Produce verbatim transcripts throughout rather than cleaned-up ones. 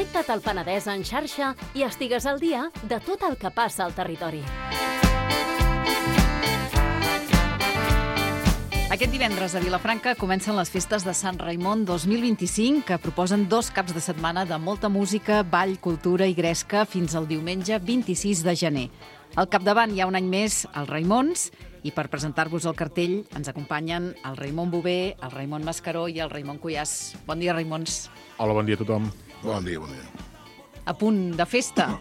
Connecta't al Penedès en xarxa i estigues al dia de tot el que passa al territori. Aquest divendres a Vilafranca comencen les festes de Sant Raimon dos mil vint-i-cinc, que proposen dos caps de setmana de molta música, ball, cultura i gresca fins al diumenge vint-i-sis de gener. Al capdavant hi ha un any més els Raimons, i per presentar-vos el cartell ens acompanyen el Raimon Bové, el Raimon Mascaró i el Raimon Cuyàs. Bon dia, Raimons. Hola, bon dia a tothom. Bon dia, bon dia. A punt de festa,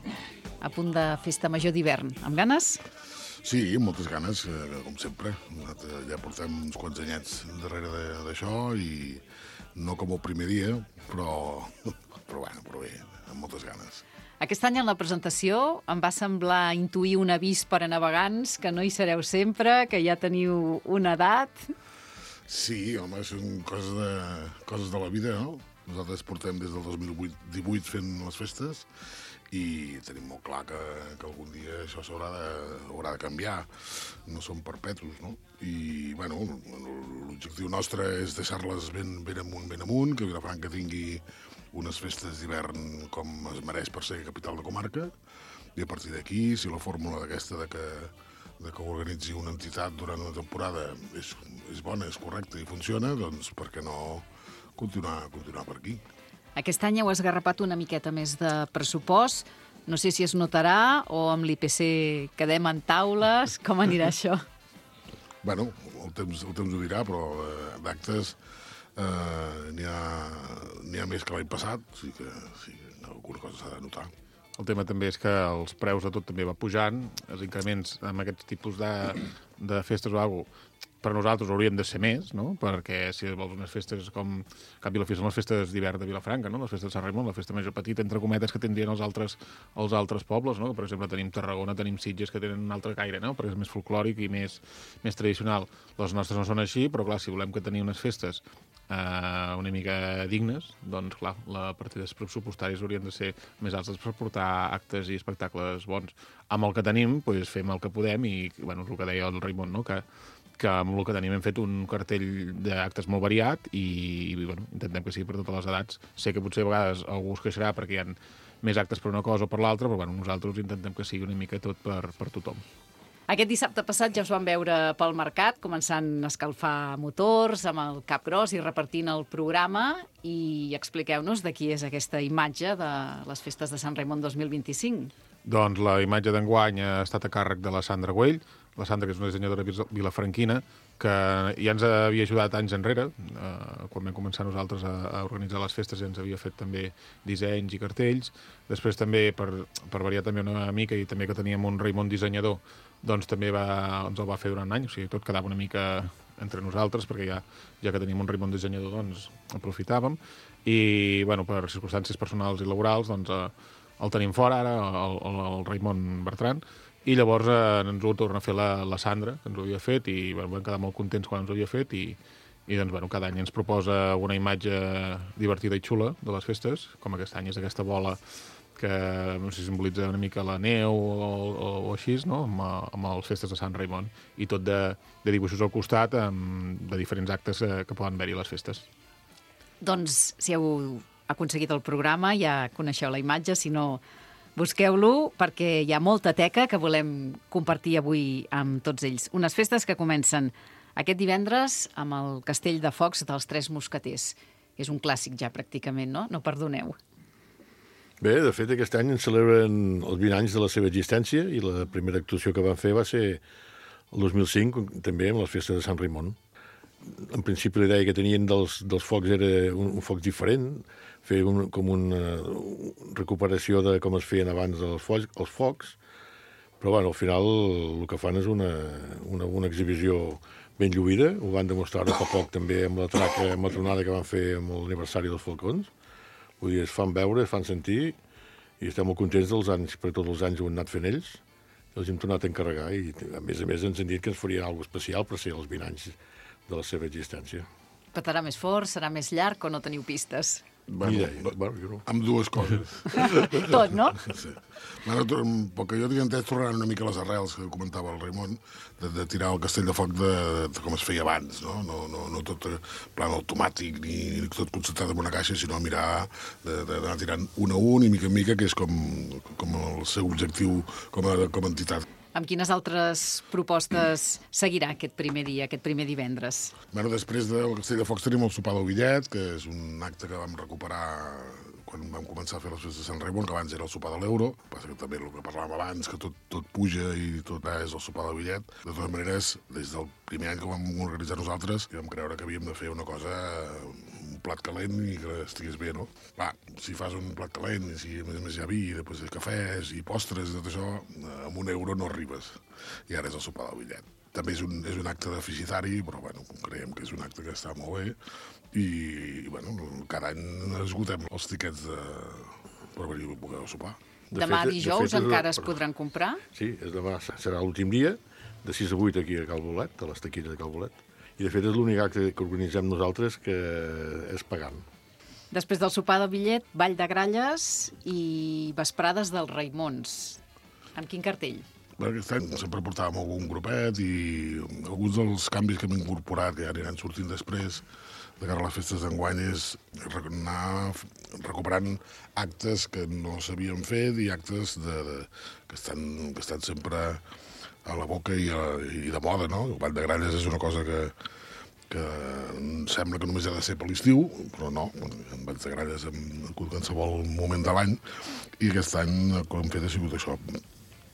a punt de festa major d'hivern. Amb ganes? Sí, amb moltes ganes, com sempre. Ja portem uns quants anyets darrere d'això i no com el primer dia, però, però, bueno, però bé, amb moltes ganes. Aquest any en la presentació em va semblar intuir un avís per a navegants, que no hi sereu sempre, que ja teniu una edat. Sí, home, són coses de, coses de la vida, no? Nosaltres portem des del dos mil divuit fent les festes i tenim molt clar que, que algun dia això s'haurà de, haurà de canviar. No són perpetus, no? I, bueno, l'objectiu nostre és deixar-les ben, ben amunt, ben amunt, que Vilafranca tingui unes festes d'hivern com es mereix per ser capital de comarca, i a partir d'aquí, si la fórmula d'aquesta de que, de que organitzi una entitat durant una temporada és, és bona, és correcta i funciona, doncs per què no continuar, continuar per aquí? Aquest any heu esgarrapat una miqueta més de pressupost. No sé si es notarà o amb l'I P C quedem en taules. Com anirà això? Bueno, el temps, el temps ho dirà, però eh, d'actes eh, n'hi ha, n'hi ha més que l'any passat, o sigui que sí, alguna cosa s'ha de notar. El tema també és que els preus de tot també va pujant, els increments amb aquests tipus de, de festes o alguna cosa, per nosaltres haurien de ser més, no? Perquè si vols unes festes com... En canvi, la festa són les festes d'hivern de Vilafranca, no? Les festes de Sant Raimon, la festa major petita, entre cometes, que tindrien els altres, els altres pobles, no? Per exemple, tenim Tarragona, tenim Sitges, que tenen un altre caire, no? Perquè és més folclòric i més, més tradicional. Les nostres no són així, però clar, si volem que tenir unes festes eh, una mica dignes, doncs clar, les partides pressupostàries haurien de ser més altes per portar actes i espectacles bons. Amb el que tenim, doncs fem el que podem i, bueno, és el que deia el Raimon, no? Que que amb el que tenim hem fet un cartell d'actes molt variat i, i bueno, intentem que sigui per totes les edats. Sé que potser a vegades algú es queixarà perquè hi ha més actes per una cosa o per l'altra, però bueno, nosaltres intentem que sigui una mica tot per, per tothom. Aquest dissabte passat ja us vam veure pel mercat, començant a escalfar motors amb el cap gros i repartint el programa, i expliqueu-nos de qui és aquesta imatge de les festes de Sant Raimon dos mil vint-i-cinc. Doncs la imatge d'enguany ha estat a càrrec de la Sandra Güell, la Sandra, que és una dissenyadora vilafranquina, que ja ens havia ajudat anys enrere, eh, quan vam començar nosaltres a, a organitzar les festes, ja ens havia fet també dissenys i cartells. Després també, per, per variar també una mica, i també que teníem un Raimon dissenyador, doncs també va, ens el va fer durant un any, o sigui, tot quedava una mica entre nosaltres, perquè ja, ja que tenim un Raimon dissenyador, doncs aprofitàvem. I, bueno, per circumstàncies personals i laborals, doncs eh, el tenim fora ara, el, el, el Raimon Bertran, i llavors eh, ens ho torna a fer la, la Sandra, que ens ho havia fet, i bueno, vam quedar molt contents quan ens ho havia fet, i, i doncs, bueno, cada any ens proposa una imatge divertida i xula de les festes, com aquest any és aquesta bola que no sé si simbolitza una mica la neu o, o, o així, no? amb, amb les festes de Sant Raimon, i tot de, de dibuixos al costat amb, de diferents actes eh, que poden haver-hi a les festes. Doncs, si heu aconseguit el programa, ja coneixeu la imatge, si no, busqueu-lo, perquè hi ha molta teca que volem compartir avui amb tots ells. Unes festes que comencen aquest divendres amb el Castell de Focs dels Tres Mosqueters. És un clàssic ja, pràcticament, no? No perdoneu. Bé, de fet, aquest any ens celebren els vint anys de la seva existència i la primera actuació que van fer va ser el dos mil cinc, també amb les festes de Sant Raimon. En principi la idea que tenien dels, dels focs era un, un foc diferent, fer un, com una recuperació de com es feien abans els focs, els focs, però bueno, al final el que fan és una, una, una exhibició ben lluïda, ho van demostrar fa poc també amb la traca, amb la tronada que van fer amb l'aniversari dels Falcons. Vull dir, es fan veure, es fan sentir, i estem molt contents dels anys, perquè tots els anys ho han anat fent ells, i els hem tornat a encarregar, i a més a més ens han dit que ens farien alguna cosa especial per ser els vint anys de la seva existència. Petarà més fort, serà més llarg o no teniu pistes? Bueno, Ni idea. Bueno, jo no. amb dues coses. Tot, no? Sí. Bueno, pel que jo tinc entès, tornaran una mica les arrels que comentava el Raimon, de, de tirar el castell de foc de, de com es feia abans, no? No, no, no tot en plan automàtic ni, ni tot concentrat en una caixa, sinó mirar d'anar tirant un a un i mica en mica, que és com, com el seu objectiu com a, com a entitat. Amb quines altres propostes seguirà aquest primer dia, aquest primer divendres? Bueno, després del Castell de Focs tenim el sopar del Billet, que és un acte que vam recuperar quan vam començar a fer les festes de Sant Raimon, que abans era el sopar de l'euro, passa que també el que parlàvem abans, que tot, tot puja i tot és el sopar del Billet. De totes maneres, des del primer any que ho vam organitzar nosaltres, vam creure que havíem de fer una cosa, un plat calent i que estigués bé, no? Clar, si fas un plat calent i si a més a més hi ha vi, i després hi ha cafès i postres i tot això, amb un euro no arribes. I ara és el sopar del Billet. També és un, és un acte deficitari, però bueno, creiem que és un acte que està molt bé i, i bueno, cada any esgotem els tiquets de, per venir a poder sopar. De Demà fet- de dijous fet, és- encara es podran comprar? Sí, és demà serà l'últim dia, de sis a vuit aquí a Cal Bolet, a les taquilles de Cal Bolet. I de fet és l'únic acte que organitzem nosaltres que és pagant. Després del sopar del Billet, ball de gralles i vesprades dels Raimons. Amb quin cartell? Bueno, aquest any sempre portàvem algun grupet i alguns dels canvis que hem incorporat, que ja aniran sortint després, de cara a les festes d'enguany, és anar recuperant actes que no s'havien fet i actes de, de, que, estan, que estan sempre a la boca i, a, i de moda, no? El ball de gralles és una cosa que, que sembla que només ha de ser per l'estiu, però no, en balls de gralles en qualsevol moment de l'any, i aquest any el que hem fet ha sigut això,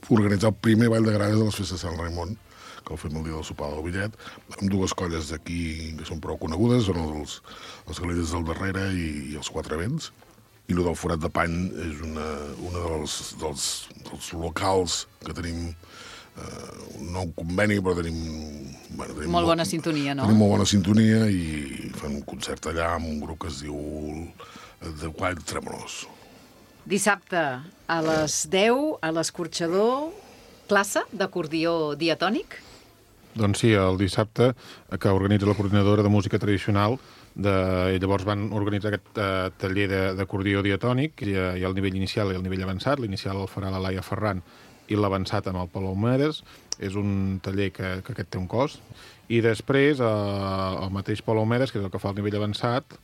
organitzar el primer ball de gralles de les festes de Sant Raimon, que el fem el dia del sopar del Billet, amb dues colles d'aquí que són prou conegudes, són els, els Galelles del Darrere i, i els Quatre Vents, i el del Forat de Pany és una, una dels, dels, dels locals que tenim, eh, no un conveni, però tenim... Bueno, tenim Molt bona sintonia, no? Tenim molt bona sintonia i fan un concert allà amb un grup que es diu The Wild Tremolors. Dissabte a les deu, a l'Escorxador, classe d'acordió diatònic. Doncs sí, el dissabte, que organitza la coordinadora de música tradicional, de, i llavors van organitzar aquest uh, taller d'acordió diatònic, hi ha, hi ha el nivell inicial i el nivell avançat. L'inicial el farà la Laia Ferran i l'avançat amb el Pol Homeres. És un taller que, que aquest té un cost. I després, uh, el mateix Pol Homeres, que és el que fa el nivell avançat,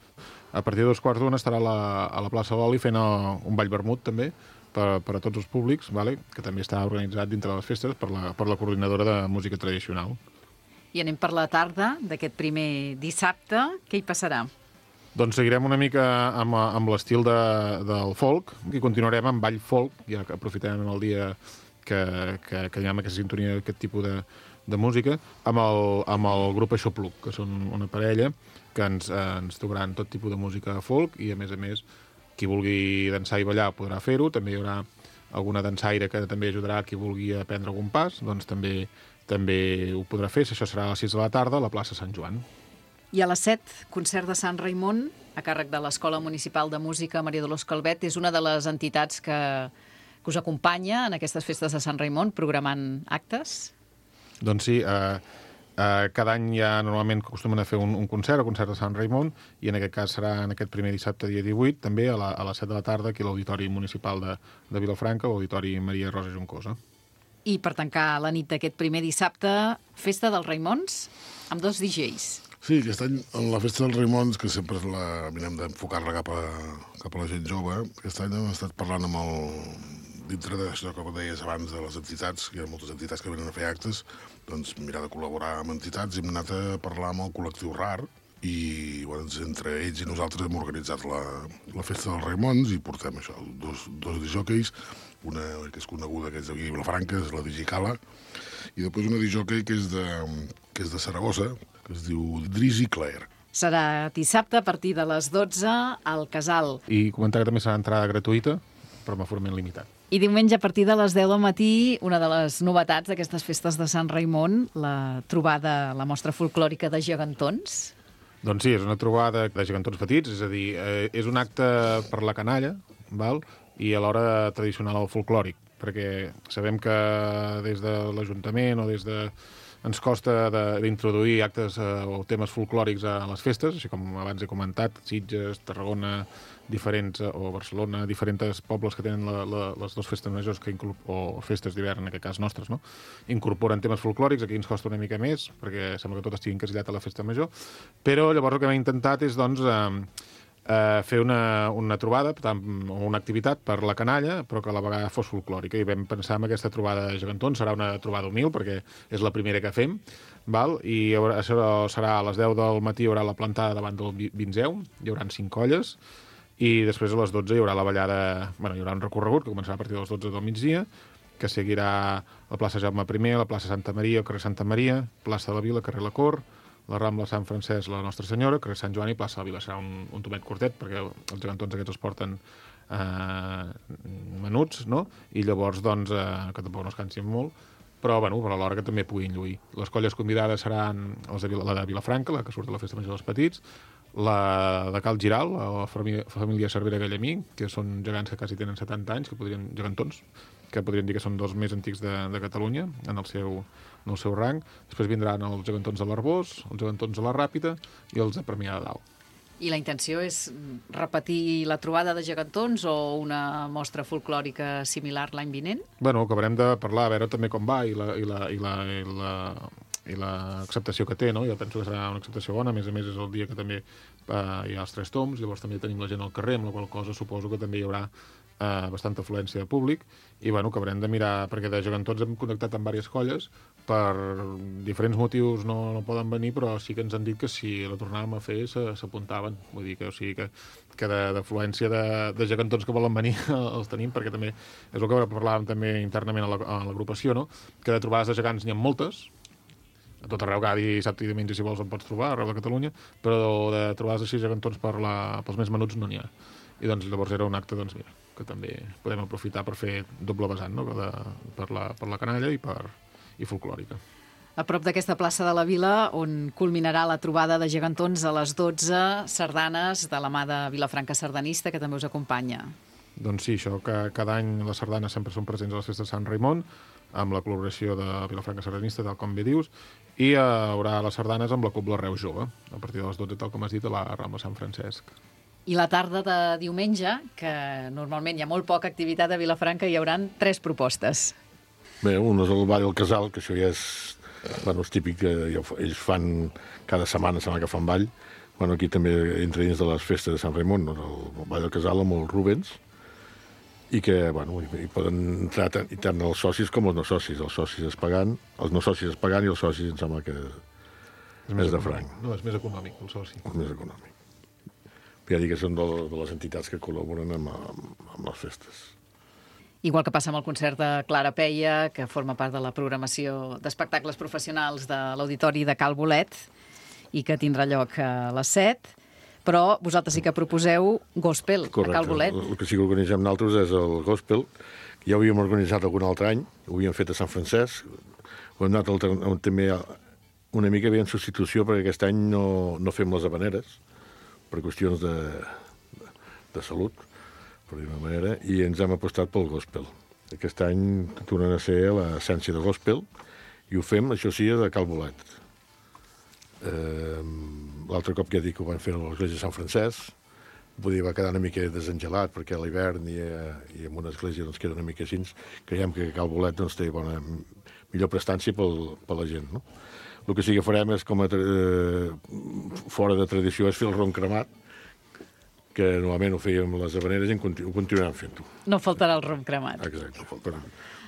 a partir de dos quarts d'una estarà a la, a la plaça Loli fent uh, un ball vermut, també, per, per a tots els públics, vale? Que també està organitzat dintre de les festes per la, per la coordinadora de música tradicional. I anem per la tarda d'aquest primer dissabte. Què hi passarà? Doncs seguirem una mica amb, amb l'estil de, del folk i continuarem amb ball folk, ja que aprofitarem el dia que, que, que hi ha aquesta sintonia d'aquest tipus de, de música, amb el, amb el grup Aixopluc, que són una parella que ens, ens tocaran tot tipus de música folk i, a més a més, qui vulgui dansar i ballar podrà fer-ho. També hi haurà alguna dansaire que també ajudarà qui vulgui aprendre algun pas, doncs també també ho podrà fer. Això serà a les sis de la tarda a la plaça Sant Joan. I a les set, concert de Sant Raimon, a càrrec de l'Escola Municipal de Música Maria Dolors Calvet. És una de les entitats que, que us acompanya en aquestes festes de Sant Raimon, programant actes. Doncs sí, eh, eh, cada any ja normalment acostumen a fer un, un concert, el concert de Sant Raimon, i en aquest cas serà en aquest primer dissabte, dia divuit, també a, la, a les set de la tarda, aquí a l'Auditori Municipal de, de Vilafranca, l'Auditori Maria Rosa Juncosa. I per tancar la nit d'aquest primer dissabte, festa dels Raimons, amb dos D Js. Sí, aquest any, en la festa dels Raimons, que sempre la mirem d'enfocar-la cap, a, cap a la gent jove, aquest any hem estat parlant amb el... dintre d'això que deies abans de les entitats, hi ha moltes entitats que venen a fer actes, doncs mirar de col·laborar amb entitats, i hem anat a parlar amb el col·lectiu RAR, i bueno, entre ells i nosaltres hem organitzat la, la festa dels Raimons i portem això, dos, dos disjòqueis, una que és coneguda, que és d'aquí a Vilafranca, és la Digicala, i després una disjòquei que és de, que és de Saragossa, que es diu Drizzy Claire. Serà dissabte a partir de les dotze al Casal. I comentar que també serà entrada gratuïta, però amb aforament limitat. I diumenge a partir de les deu del matí, una de les novetats d'aquestes festes de Sant Raimon, la trobada, la mostra folclòrica de gegantons. Doncs sí, és una trobada de gegantons petits, és a dir, eh, és un acte per la canalla, val? I alhora tradicional al folclòric, perquè sabem que des de l'Ajuntament o des de ens costa d'introduir actes eh, o temes folclòrics a les festes, així com abans he comentat, Sitges, Tarragona, diferents, o Barcelona, diferents pobles que tenen la, la, les dues festes majors que o festes d'hivern, en aquest cas nostres, no? Incorporen temes folclòrics, aquí ens costa una mica més, perquè sembla que tot estigui encasillat a la festa major, però llavors el que hem intentat és, doncs, eh, eh, fer una, una trobada, tant, o una activitat per la canalla, però que a la vegada fos folclòrica, i vam pensar en aquesta trobada de gegantons, serà una trobada humil, perquè és la primera que fem, val? I haurà, serà a les deu del matí, hi haurà la plantada davant del Vinzeu, hi haurà cinc colles, i després a les dotze hi haurà la ballada, bueno, hi haurà un recorregut que començarà a partir de les dotze del migdia, que seguirà la plaça Jaume primer, la plaça Santa Maria, el carrer Santa Maria, plaça de la Vila, carrer La Cor, la Rambla Sant Francesc, la Nostra Senyora, carrer Sant Joan i plaça de la Vila. Serà un, un tomet curtet, perquè els gegantons aquests els porten eh, menuts, no? I llavors, doncs, eh, que tampoc no es cansin molt, però, bueno, per alhora que també puguin lluir. Les colles convidades seran els de Vila, la de Vilafranca, la que surt de la Festa Major dels Petits, la de Cal Giral, la família, família Cervera Gallemí, que són gegants que quasi tenen setanta anys, que podrien, gegantons, que podrien dir que són dos més antics de, de Catalunya, en el, seu, en el seu rang. Després vindran els gegantons de l'Arbós, els gegantons de la Ràpita i els de Premià de Dalt. I la intenció és repetir la trobada de gegantons o una mostra folclòrica similar l'any vinent? Bueno, acabarem de parlar, a veure també com va i la... I la, i la, i la i l'acceptació que té, no? Jo penso que serà una acceptació bona, a més a més és el dia que també eh, hi ha els tres toms, llavors també tenim la gent al carrer, amb la qual cosa suposo que també hi haurà eh, bastanta afluència de públic, i bueno, que haurem de mirar, perquè de gegantons hem contactat amb diverses colles, per diferents motius no, no poden venir, però sí que ens han dit que si la tornàvem a fer s'apuntaven, vull dir que, o sigui que, que d'afluència de, de gegantons que volen venir els tenim, perquè també és el que parlàvem també internament a l'agrupació, no? Que de trobades de gegants n'hi ha moltes, a tot arreu, cada dissabte i diumenge, si vols, en pots trobar, arreu de Catalunya, però de trobades així gegantons per la, pels més menuts no n'hi ha. I doncs llavors era un acte, doncs mira, que també podem aprofitar per fer doble vessant, no? De, per, la, per la canalla i, per, i folclòrica. A prop d'aquesta plaça de la Vila, on culminarà la trobada de gegantons a les dotze, sardanes de la mà de Vilafranca Sardanista, que també us acompanya. Doncs sí, això, que cada any les sardanes sempre són presents a les festes de Sant Raimon, amb la col·laboració de Vilafranca Sardanista, tal com bé dius, i hi haurà les sardanes amb la Cobla Reus Jove, a partir de les dotze, tal com has dit, a la Rambla Sant Francesc. I la tarda de diumenge, que normalment hi ha molt poca activitat a Vilafranca, hi hauran tres propostes. Bé, un és el Ball del Casal, que això ja és, bueno, és típic, que ells fan cada setmana, sembla que fan ball. Bueno, aquí també entra dins de les festes de Sant Raimon, no? El Ball del Casal amb els Rubens, i que, bueno, hi poden entrar tant, tant els socis com els no socis. Els socis es pagant, els no socis es pagant i els socis em sembla que és, és de franc. No, és més econòmic, el soci. És més econòmic. Ja dic que són de, de les entitats que col·laboren amb, amb, amb les festes. Igual que passa amb el concert de Clara Peia, que forma part de la programació d'espectacles professionals de l'Auditori de Cal Bolet i que tindrà lloc a les set, però vosaltres sí que proposeu gospel. Correcte. A Cal Bolet. El que sí que organitzem nosaltres és el gospel, que ja ho havíem organitzat algun altre any, ho havíem fet a Sant Francesc, ho hem anat alternant també una mica bé en substitució, perquè aquest any no, no fem les habaneres, per qüestions de, de, de salut, per dir-ho d'una manera, i ens hem apostat pel gospel. Aquest any tornen a ser l'essència de gospel, i ho fem, això sí, de Cal Bolet. Eh, L'altre cop que ja dic que ho van fer a l'església de Sant Francesc, podia va quedar una mica desengelat, perquè a l'hivern i, i en una església doncs, queda una mica així. Creiem que Cal Bolet doncs, té bona, millor prestància pel, per la gent. No? El que sí que farem és, com a eh, fora de tradició, és fer el ron cremat, que normalment ho fèiem a les habaneres i ho continuem fent-ho. No faltarà el rom cremat. Exacte, per,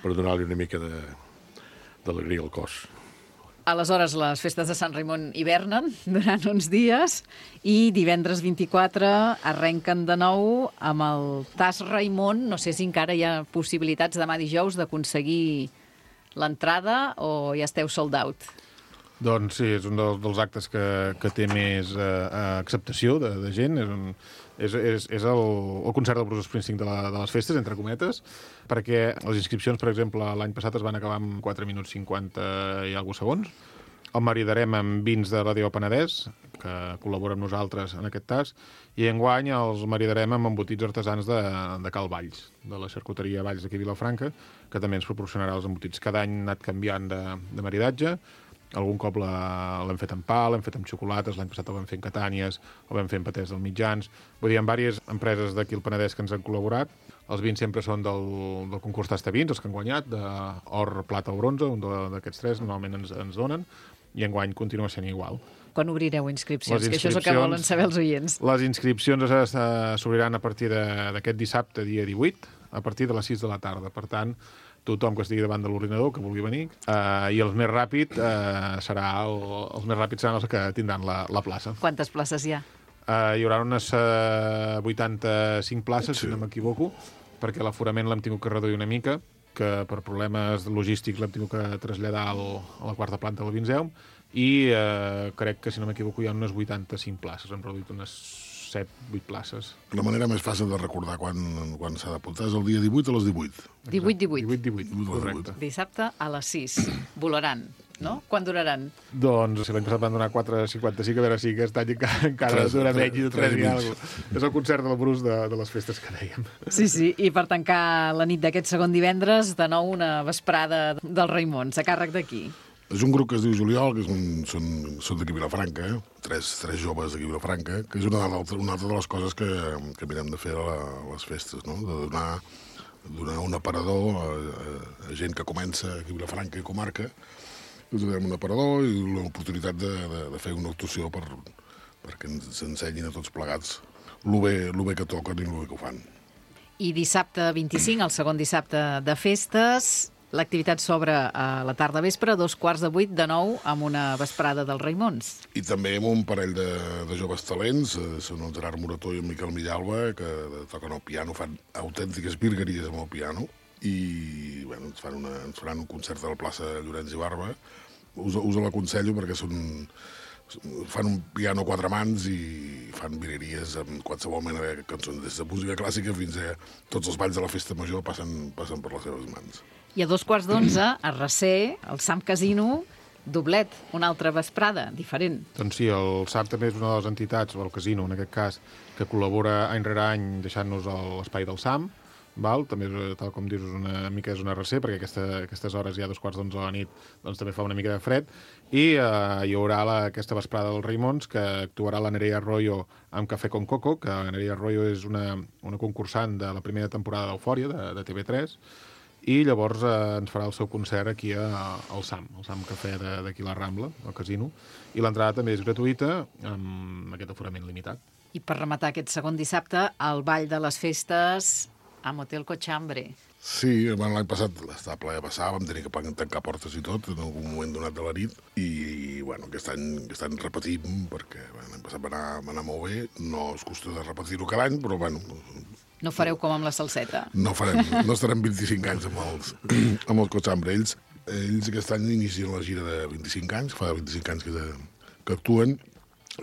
per donar-li una mica d'alegria al cos. Aleshores, les festes de Sant Raimon hivernen durant uns dies i divendres vint-i-quatre arrenquen de nou amb el Tas Raimon. No sé si encara hi ha possibilitats demà dijous d'aconseguir l'entrada o ja esteu sold out. Doncs sí, és un dels, dels actes que, que té més eh, acceptació de, de gent. És, un, és, és, és el, el concert del Bruce Springsteen de, la, de les festes, entre cometes, perquè les inscripcions, per exemple, l'any passat es van acabar amb quatre minuts cinquanta i alguns segons. El maridarem amb vins de Ràdio Penedès, que col·labora amb nosaltres en aquest tas, i enguany els maridarem amb embotits artesans de, de Cal Valls, de la xarcuteria Valls d'aquí a Vilafranca, que també ens proporcionarà els embotits. Cada any ha anat canviant de, de maridatge. algun cop l'hem fet amb pa, l'hem fet amb xocolates, l'any passat el vam fer amb catànies, el vam fer amb patès dels mitjans. Vull dir, hi ha diverses empreses d'aquí al Penedès que ens han col·laborat. Els vins sempre són del, del concurs Tasta Vins, els que han guanyat, d'or, plata o bronze, un d'aquests tres normalment ens, ens donen, i enguany continua sent igual. Quan obrireu inscripcions? Les Que això és el que volen saber els oients. Les inscripcions s'obriran a partir d'aquest dissabte, dia divuit, a partir de les sis de la tarda. Per tant, tothom que estigui davant de l'ordinador, que vulgui venir, eh, i els més ràpids eh, serà el, els més ràpids seran els que tindran la, la plaça. Quantes places hi ha? Eh, hi haurà unes eh, vuitanta-cinc places, sí. Si no m'equivoco, perquè l'aforament l'hem tingut que reduir una mica, que per problemes logístics l'hem tingut que traslladar al, a la quarta planta del Vinzeum, i eh, crec que, si no m'equivoco, hi ha unes vuitanta-cinc places. Hem reduït unes set vuit places. La manera més fàcil de recordar quan, quan s'ha d'apuntar és el dia divuit a les divuit. divuit divuit. divuit divuit, correcte. Dissabte a les sis. Volaran, no? Quan duraran? Doncs, si l'any passat van donar quatre cinquanta-cinc, a veure si aquest any encara, encara dura menys de tres i alguna cosa. És el concert de la Brus de, de les festes que dèiem. Sí, sí, i per tancar la nit d'aquest segon divendres, de nou una vesprada dels Raimons, a càrrec d'aquí. És un grup que es diu Juliol, que és un, són, són d'aquí Vilafranca, eh? tres, tres joves d'aquí Vilafranca, que és una altra, una altra de les coses que, que mirem de fer a, la, a les festes, no? De donar, donar un aparador a, a, a gent que comença aquí a Vilafranca i comarca, us donem un aparador i l'oportunitat de, de, de fer una actuació per, perquè ens ensenyin a tots plegats el bé, lo bé que toquen i el bé que ho fan. I dissabte vint-i-cinc, el segon dissabte de festes, l'activitat s'obre a la tarda vespre, a dos quarts de vuit, de nou, amb una vesprada dels Raimons. I també amb un parell de, de joves talents, eh, són el Gerard Morató i el Miquel Millalba, que toquen el piano, fan autèntiques virgueries amb el piano, i bueno, ens, fan una, ens faran un concert a la plaça Llorenç i Barba. Us, us l'aconsello perquè són, fan un piano a quatre mans i fan virgueries amb qualsevol mena de cançons, des de música clàssica fins a tots els balls de la festa major passen, passen per les seves mans. I a dos quarts d'onze, a Recer, el Sam Casino, doblet, una altra vesprada, diferent. Doncs sí, el S A M també és una de les entitats, o el casino en aquest cas, que col·labora any rere any deixant-nos l'espai del S A M, val? També, tal com dius, una mica és una recer, perquè aquesta, aquestes hores ja a dos quarts d'onze de la nit doncs, també fa una mica de fred, i eh, hi haurà la, aquesta vesprada dels Raimons, que actuarà la Nerea Arroyo amb Café con Coco, que la Nerea Arroyo és una, una concursant de la primera temporada d'Eufòria, de, de T V tres, i llavors eh, ens farà el seu concert aquí a, al S A M, al S A M Cafè d'aquí a la Rambla, al casino, i l'entrada també és gratuïta, amb aquest aforament limitat. I per rematar aquest segon dissabte, el ball de les festes a Motel Cochambre. Sí, bueno, l'any passat estava ple de passar, vam tenir que tancar portes i tot en algun moment donat de la nit, i bueno, aquest any, aquest any repetim, perquè bueno, l'any passat va anar, va anar molt bé, no es costa de repetir-ho cada any, però bueno... No fareu com amb la salseta. No farem, no estarem vint-i-cinc anys amb els, amb els Cochambre. Ells, ells aquest any inicien la gira de vint-i-cinc anys, fa vint-i-cinc anys que, de, que actuen,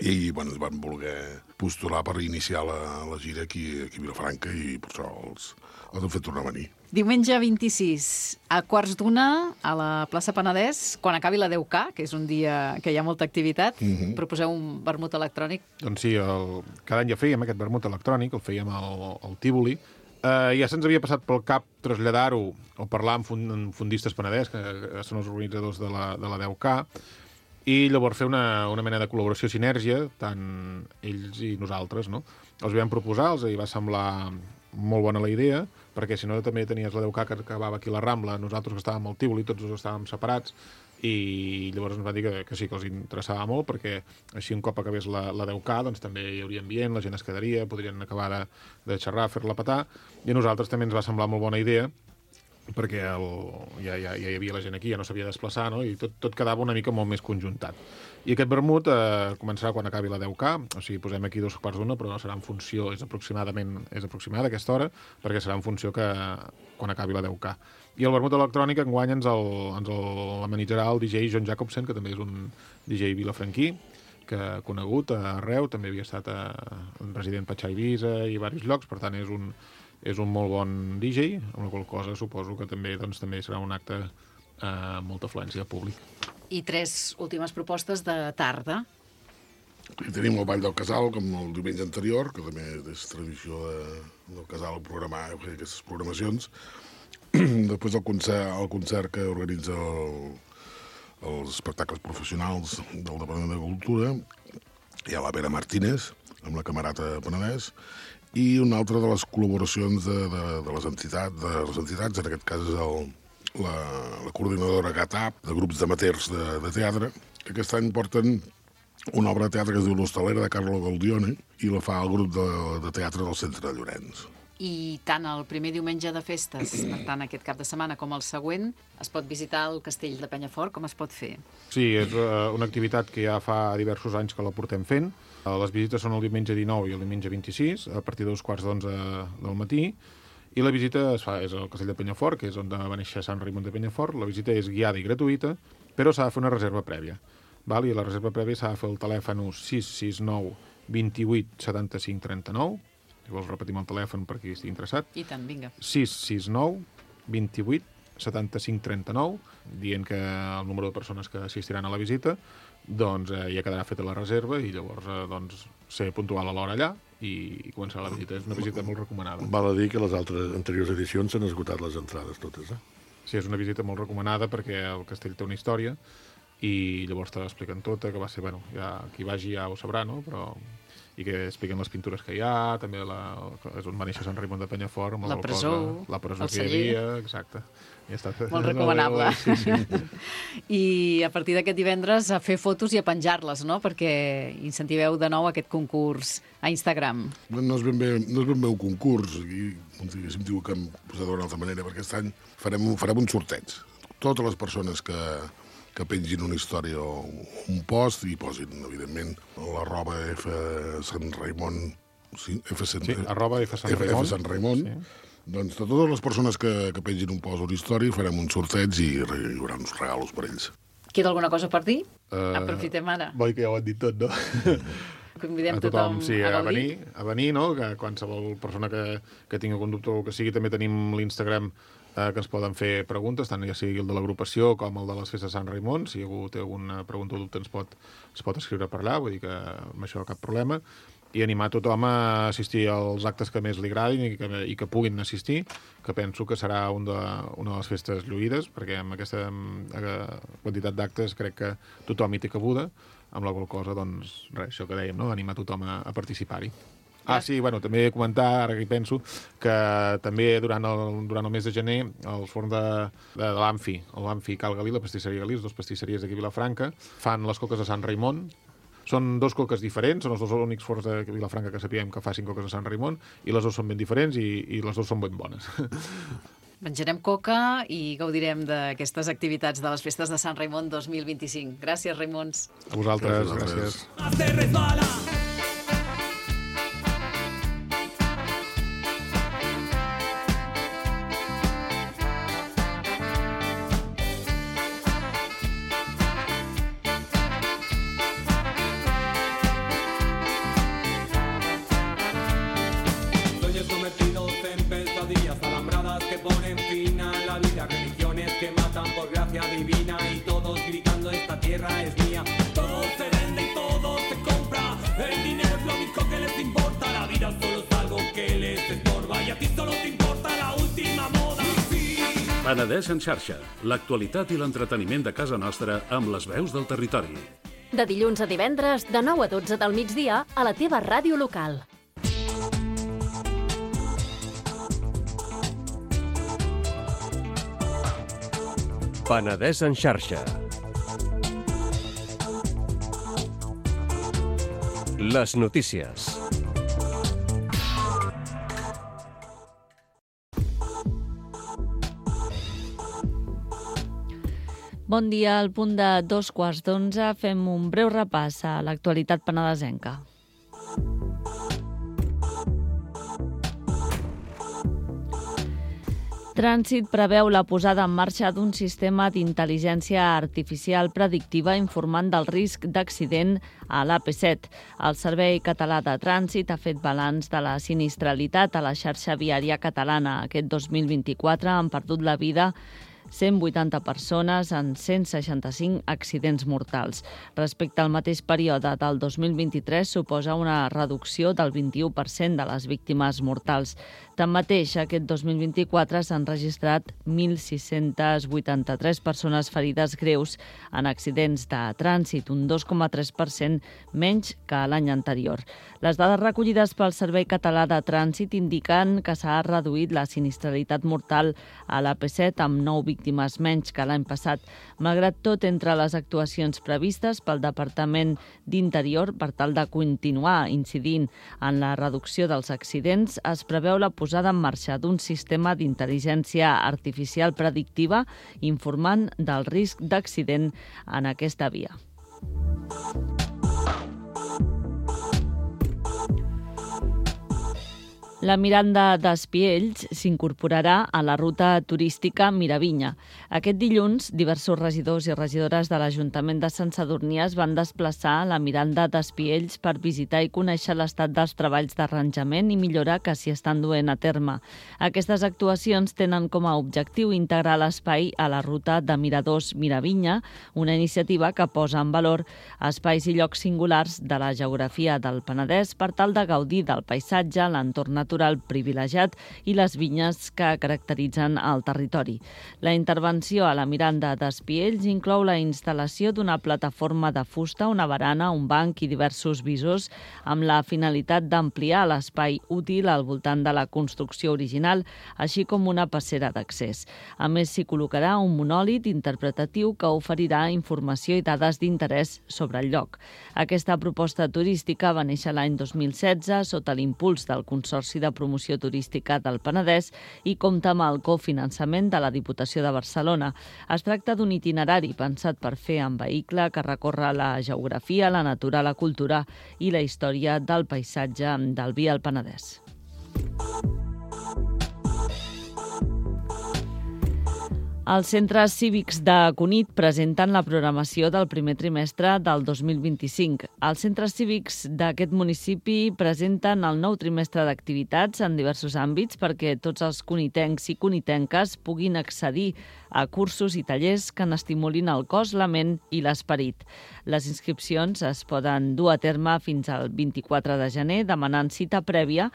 i bueno, es van voler postular per iniciar la, la gira aquí, aquí a Vilafranca, i per això els, els han fet tornar a venir. Diumenge vint-i-sis, a quarts d'una, a la plaça Penedès, quan acabi la deu K, que és un dia que hi ha molta activitat, uh-huh. proposeu un vermut electrònic? Doncs sí, el, cada any ja fèiem aquest vermut electrònic, el fèiem al, al Tívoli. Uh, ja se'ns havia passat pel cap traslladar-ho o parlar amb, fund, amb fundistes Penedès, que, que són els organitzadors de la, de la deu K, i llavors fer una, una mena de col·laboració, sinergia, tant ells i nosaltres, no? Els vam proposar, els hi va semblar molt bona la idea, perquè si no també tenies la deu K que acabava aquí a la Rambla, nosaltres que estàvem al Tívoli, tots dos estàvem separats, i llavors ens van dir que, que sí, que els interessava molt, perquè així un cop acabés la, la deu K, doncs també hi hauria ambient, la gent es quedaria, podrien acabar de, de xerrar, fer-la petar, i a nosaltres també ens va semblar molt bona idea, perquè el, ja, ja, ja hi havia la gent aquí, ja no s'havia de desplaçar, no? I tot, tot quedava una mica molt més conjuntat. I aquest vermut eh, començarà quan acabi la deu K, o sigui, posem aquí dos quarts d'una, però no serà en funció, és aproximadament és aproximada aquesta hora, perquè serà en funció que quan acabi la deu K. I el vermut electrònic enguany ens l'amenitzarà el D J John Jacobsen, que també és un D J vilafranquí, que ha conegut arreu, també havia estat a, un resident Patxà Eivissa i diversos llocs, per tant és un, és un molt bon D J, amb la qual cosa suposo que també, doncs, també serà un acte amb molta afluència de públic. I tres últimes propostes de tarda. I tenim el Ball del Casal, com el diumenge anterior, que també és tradició de, del Casal programar aquestes programacions. Després el concert, el concert que organitza el, els espectacles professionals del Departament de Cultura. Hi ha la Vera Martínez, amb la Camerata Penedès, i una altra de les col·laboracions de, de, de, les, entitats, de les entitats, en aquest cas és el, la, la coordinadora GATAP, de grups d'amateurs de, de teatre, que aquest any porten una obra de teatre que es diu L'Hostalera, de Carlo Gaudione, i la fa el grup de, de teatre del Centre de Llorenç. I tant el primer diumenge de festes, per tant, aquest cap de setmana, com el següent, es pot visitar el castell de Penyafort? Com es pot fer? Sí, és una activitat que ja fa diversos anys que la portem fent. Les visites són el diumenge dinou i el diumenge vint-i-sis, a partir de dos quarts d'onze del matí, i la visita es fa, és al castell de Penyafort, que és on va néixer Sant Raimon de Penyafort. La visita és guiada i gratuïta, però s'ha de fer una reserva prèvia. Val? I la reserva prèvia s'ha de fer el telèfon sis sis nou, vint-i-vuit, setanta-cinc, trenta-nou. Si vols repetim el telèfon per qui estigui interessat. I tant, vinga. sis sis nou, vint-i-vuit, setanta-cinc, trenta-nou, dient que el número de persones que assistiran a la visita, doncs eh, ja quedarà feta la reserva i llavors eh, doncs, ser puntual a l'hora allà i, i començarà la visita. És una visita molt recomanada. Val a dir que les altres anteriors edicions s'han esgotat les entrades totes, eh? Sí, és una visita molt recomanada perquè el castell té una història i llavors te l'expliquen tota, que va ser, bueno, ja qui vagi ja ho sabrà, no? Però i que expliquen les pintures que hi ha, també la, és on va néixer Sant Raimon de Penyafort, amb la presó, cosa, la presó el que hi havia, exacte. Ja està. Molt recomanable. Sí, sí. I a partir d'aquest divendres a fer fotos i a penjar-les, no? Perquè incentiveu de nou aquest concurs a Instagram. No és ben bé, no és ben bé un concurs, i diguéssim, diu que hem posat d'una altra manera, perquè aquest any farem, farem un sorteig. Totes les persones que, que pengin una història o un post i posin, evidentment, l'arroba F Sant Raimon, sí, F Sant, sí, arroba F Sant Raimon. F Sant Raimon. Sí. Doncs de totes les persones que, que pengin un post o una història farem un sorteig i hi haurà uns regalos per ells. Queda alguna cosa per dir? Uh, Aprofitem ara. Boi, que ja ho han dit tot, no? Convidem a tothom, tothom sí, a, a venir, a venir, no? Que qualsevol persona que, que tingui algun dubte o que sigui, també tenim l'Instagram eh, que ens poden fer preguntes, tant ja sigui el de l'agrupació com el de les festes de Sant Raimon. Si algú té alguna pregunta o dubte ens pot, ens pot escriure per allà, vull dir que amb això cap problema. I animar tothom a assistir als actes que més li agradin i que, i que puguin assistir, que penso que serà un de, una de les festes lluïdes, perquè amb aquesta eh, quantitat d'actes crec que tothom hi té cabuda, amb la qual cosa, doncs, res, això que dèiem, no? Animar tothom a, a participar-hi. Ah, sí, bueno, també comentar, ara que hi penso, que també durant el, durant el mes de gener el forn de, de, de l'Amfi, l'Amfi Cal Galí, la pastisseria Galí, les dues pastisseries d'aquí a Vilafranca, fan les coques de Sant Raimon. Són dos coques diferents, són els dos únics forns de Vilafranca que sapiguem que facin coques de Sant Raimon, i les dues són ben diferents i, i les dues són ben bones. Menjarem coca i gaudirem d'aquestes activitats de les festes de Sant Raimon dos mil vint-i-cinc. Gràcies, Raimons. A vosaltres, gràcies. gràcies. Divina y todos gritando esta tierra es mía. Todo se vende y todo se compra. El dinero es lo único que les importa. La vida solo es algo que les estorba y a ti solo te importa la última moda. Sí. Penedès en xarxa, l'actualitat i l'entreteniment de casa nostra amb les veus del territori. De dilluns a divendres, de nou a dotze del migdia, a la teva ràdio local. Penedès en xarxa. Les notícies. Bon dia, al punt de dos quarts d'onze fem un breu repàs a l'actualitat penedesenca. Trànsit preveu la posada en marxa d'un sistema d'intel·ligència artificial predictiva informant del risc d'accident a l'A P set. El Servei Català de Trànsit ha fet balanç de la sinistralitat a la xarxa viària catalana. Aquest dos mil vint-i-quatre han perdut la vida cent vuitanta persones en cent seixanta-cinc accidents mortals. Respecte al mateix període del dos mil vint-i-tres, suposa una reducció del vint-i-u per cent de les víctimes mortals. Tanmateix, aquest dos mil vint-i-quatre s'han registrat mil sis-cents vuitanta-tres persones ferides greus en accidents de trànsit, un dos coma tres per cent menys que l'any anterior. Les dades recollides pel Servei Català de Trànsit indiquen que s'ha reduït la sinistralitat mortal a l'A P set amb nou víctimes menys que l'any passat. Malgrat tot, entre les actuacions previstes pel Departament d'Interior per tal de continuar incidint en la reducció dels accidents, es preveu la posada en marxa d'un sistema d'intel·ligència artificial predictiva informant del risc d'accident en aquesta via. La Miranda d'Espiells s'incorporarà a la ruta turística Miravinya. Aquest dilluns, diversos regidors i regidores de l'Ajuntament de Sant Sadurní es van desplaçar a la Miranda d'Espiells per visitar i conèixer l'estat dels treballs d'arranjament i millora que s'hi estan duent a terme. Aquestes actuacions tenen com a objectiu integrar l'espai a la ruta de Miradors Miravinya, una iniciativa que posa en valor espais i llocs singulars de la geografia del Penedès per tal de gaudir del paisatge, l'entorn natural privilegiat i les vinyes que caracteritzen el territori. La intervenció a la Miranda d'Espiells inclou la instal·lació d'una plataforma de fusta, una barana, un banc i diversos visors amb la finalitat d'ampliar l'espai útil al voltant de la construcció original, així com una passera d'accés. A més, s'hi col·locarà un monòlit interpretatiu que oferirà informació i dades d'interès sobre el lloc. Aquesta proposta turística va néixer l'any dos mil setze sota l'impuls del Consorci de Promoció Turística del Penedès i compta amb el cofinançament de la Diputació de Barcelona. Es tracta d'un itinerari pensat per fer en vehicle que recorre la geografia, la natura, la cultura i la història del paisatge del vi al Penedès. Els centres cívics de Cunit presenten la programació del primer trimestre del dos mil vint-i-cinc. Els centres cívics d'aquest municipi presenten el nou trimestre d'activitats en diversos àmbits perquè tots els cunitencs i cunitenques puguin accedir a cursos i tallers que n'estimulin el cos, la ment i l'esperit. Les inscripcions es poden dur a terme fins al vint-i-quatre de gener demanant cita prèvia,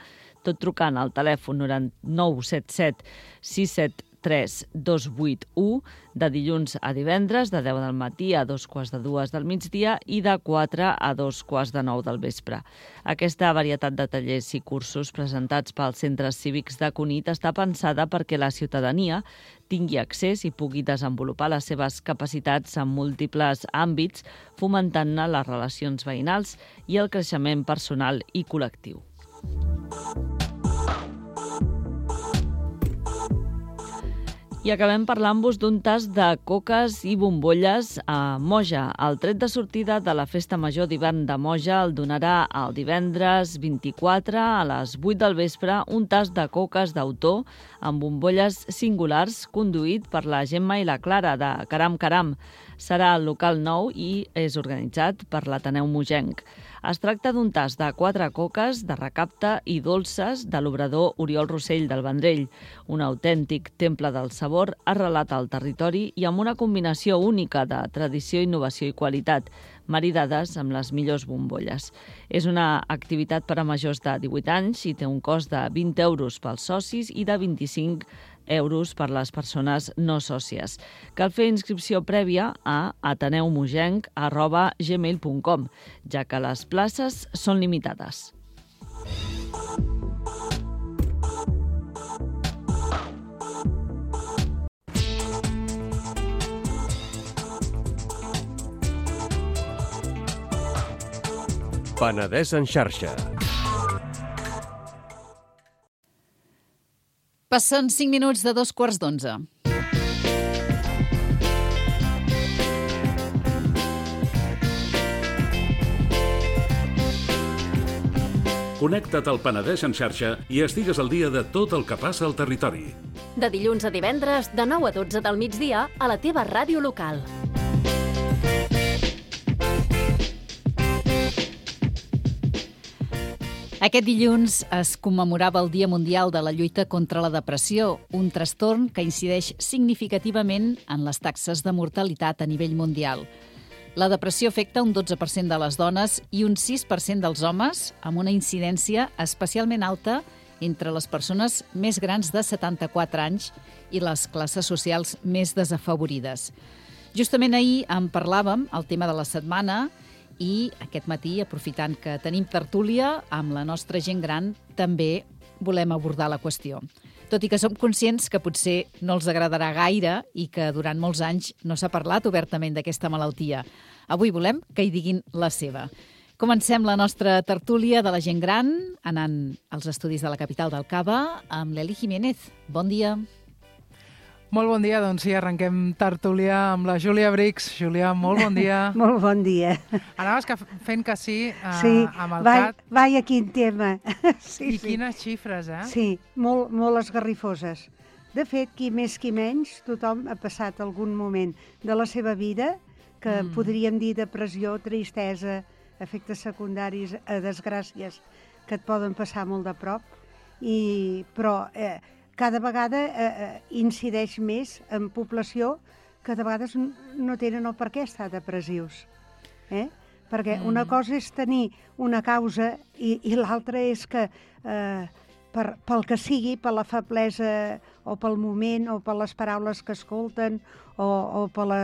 tot trucant al telèfon nou set set sis set tres dos vuit u de dilluns a divendres, de deu del matí a dos quarts de dues del migdia i de quatre a dos quarts de nou del vespre. Aquesta varietat de tallers i cursos presentats pels centres cívics de Cunit està pensada perquè la ciutadania tingui accés i pugui desenvolupar les seves capacitats en múltiples àmbits, fomentant-ne les relacions veïnals i el creixement personal i col·lectiu. I acabem parlant-vos d'un tast de coques i bombolles a Moja. El tret de sortida de la Festa Major d'hivern de Moja el donarà el divendres vint-i-quatre a les vuit del vespre un tast de coques d'autor amb bombolles singulars conduït per la Gemma i la Clara de Caram Caram. Serà al local nou i és organitzat per l'Ateneu Mogenc. Es tracta d'un tast de quatre coques de recapte i dolces de l'obrador Oriol Rossell del Vendrell, un autèntic temple del sabor arrelat al territori i amb una combinació única de tradició, innovació i qualitat, maridades amb les millors bombolles. És una activitat per a majors de divuit anys i té un cost de vint euros pels socis i de vint-i-cinc euros per les persones no sòcies. Cal fer inscripció prèvia a ateneumogenc arroba gmail punt com, ja que les places són limitades. Penedès en xarxa. Passen cinc minuts de dos quarts d'onze. Connecta't al Penedès en xarxa i estigues al dia de tot el que passa al territori. De dilluns a divendres, de nou a dotze del migdia, a la teva ràdio local. Aquest dilluns es commemorava el Dia Mundial de la Lluita contra la Depressió, un trastorn que incideix significativament en les taxes de mortalitat a nivell mundial. La depressió afecta un dotze per cent de les dones i un sis per cent dels homes, amb una incidència especialment alta entre les persones més grans de setanta-quatre anys i les classes socials més desafavorides. Justament ahir en parlàvem, el tema de la setmana, i aquest matí, aprofitant que tenim tertúlia amb la nostra gent gran, també volem abordar la qüestió. Tot i que som conscients que potser no els agradarà gaire i que durant molts anys no s'ha parlat obertament d'aquesta malaltia. Avui volem que hi diguin la seva. Comencem la nostra tertúlia de la gent gran, anant als estudis de la capital del Cava, amb l'Eli Jiménez. Bon dia. Molt bon dia, doncs sí, arrenquem tertúlia amb la Júlia Brix. Júlia, molt bon dia. Molt bon dia. Anaves que fent que sí, uh, sí amb el vai, cat. Vaja, quin tema. Sí, I sí. quines xifres, eh? Sí, molt, molt esgarrifoses. De fet, qui més qui menys, tothom ha passat algun moment de la seva vida que mm. podríem dir depressió, tristesa, efectes secundaris, eh, desgràcies que et poden passar molt de prop, i, però eh, cada vegada eh, incideix més en població que de vegades no tenen el per què estar depressius. Eh? Perquè mm. una cosa és tenir una causa i, i l'altra és que eh, per, pel que sigui, per la feblesa o pel moment o per les paraules que escolten o, o per la,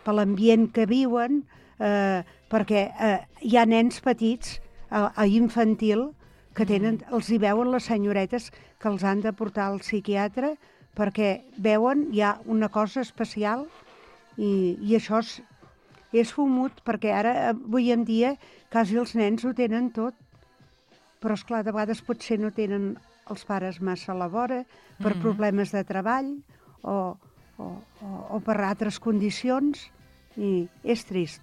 per l'ambient que viuen, eh, perquè eh, hi ha nens petits a, a infantil que tenen, els hi veuen les senyoretes que els han de portar al psiquiatre perquè veuen ja una cosa especial i, i això és, és fumut, perquè ara, avui en dia, quasi els nens ho tenen tot, però esclar, de vegades potser no tenen els pares massa a la vora per mm-hmm. problemes de treball o, o, o, o per altres condicions, i és trist,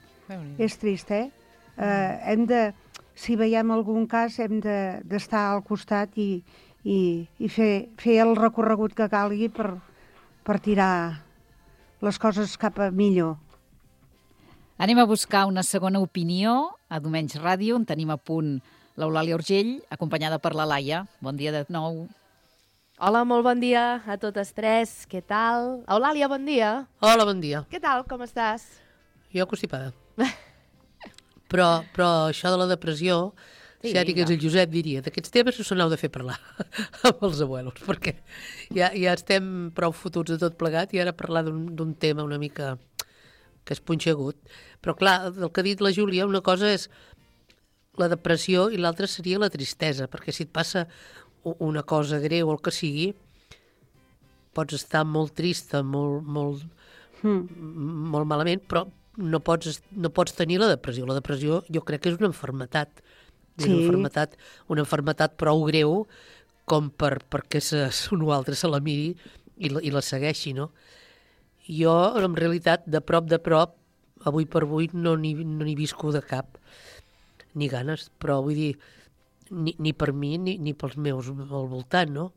és trist, eh? Mm. eh hem de... Si veiem algun cas, hem d'estar de, al costat i, i, i fer, fer el recorregut que calgui per, per tirar les coses cap a millor. Anem a buscar una segona opinió a Domenys Ràdio, on tenim a punt l'Eulàlia Urgell, acompanyada per la Laia. Bon dia de nou. Hola, molt bon dia a totes tres. Què tal? Eulàlia, bon dia. Hola, bon dia. Què tal? Com estàs? Jo constipada. Però, però això de la depressió, sí, si ara digués el Josep diria, d'aquests temes no se n'heu de fer parlar amb els abuelos, perquè ja, ja estem prou fotuts de tot plegat i ara parlar d'un tema una mica que és punxegut. Però clar, del que ha dit la Júlia, una cosa és la depressió i l'altra seria la tristesa, perquè si et passa una cosa greu o el que sigui, pots estar molt trista, molt, molt, mm. molt malament, però no pots, no pots tenir la depressió. La depressió jo crec que és una enfermetat. És sí. una enfermetat, una enfermetat prou greu com per, perquè se, un o altre se la miri i la, i la segueixi, no? Jo, en realitat, de prop de prop, avui per avui, no n'hi no n'hi visco de cap, ni ganes, però vull dir, ni, ni per mi ni, ni pels meus al voltant, no?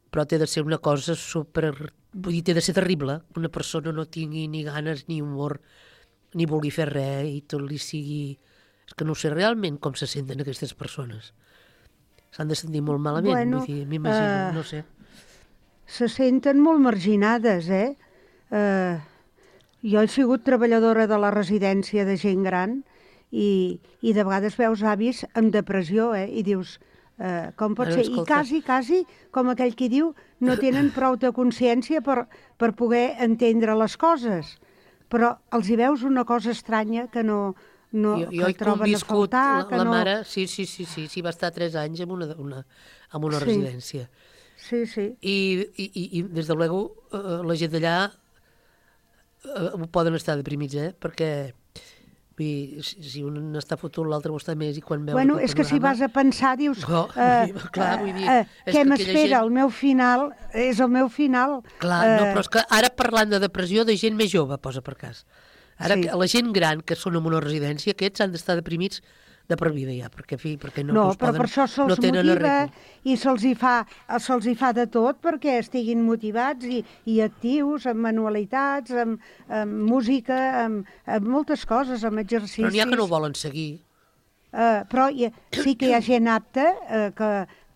Però té de ser una cosa super... Vull dir, té de ser terrible que una persona no tingui ni ganes, ni humor, ni vulgui fer res i tot li sigui... És que no sé realment com se senten aquestes persones. S'han de sentir molt malament, bueno, vull dir, m'imagino, uh, no sé. Se senten molt marginades, eh? Uh, jo he sigut treballadora de la residència de gent gran i, i de vegades veus avis amb depressió, eh? I dius... Uh, com pot ser? I quasi, quasi, com aquell qui diu, no tenen prou de consciència per, per poder entendre les coses. Però els hi veus una cosa estranya que no, no jo, jo que troben a faltar. La, que la no... mare, sí, sí, sí, sí, sí, va estar tres anys en una, una, en una sí. residència. Sí, sí. I, i, i, i des de luego, uh, la gent d'allà uh, poden estar deprimits, eh? Perquè... si un està fotut, l'altre ho està més, i quan veu... Bueno, és que si vas a pensar, dius... No, uh, clar, vull dir... Uh, què m'espera? Gent... El meu final és el meu final. Clar, uh, no, però és que ara parlant de depressió de gent més jove, posa per cas. Ara, sí. La gent gran que són en una residència, aquests han d'estar deprimits de per vida ja, perquè, fi, perquè no, no, no però poden, per això se'ls no motiva arreglo. I se'ls hi, fa, se'ls hi fa de tot perquè estiguin motivats i, i actius, amb manualitats, amb, amb música, amb, amb moltes coses, amb exercicis. Però n'hi ha que no volen seguir. Uh, però hi, sí que hi ha gent apta uh, que,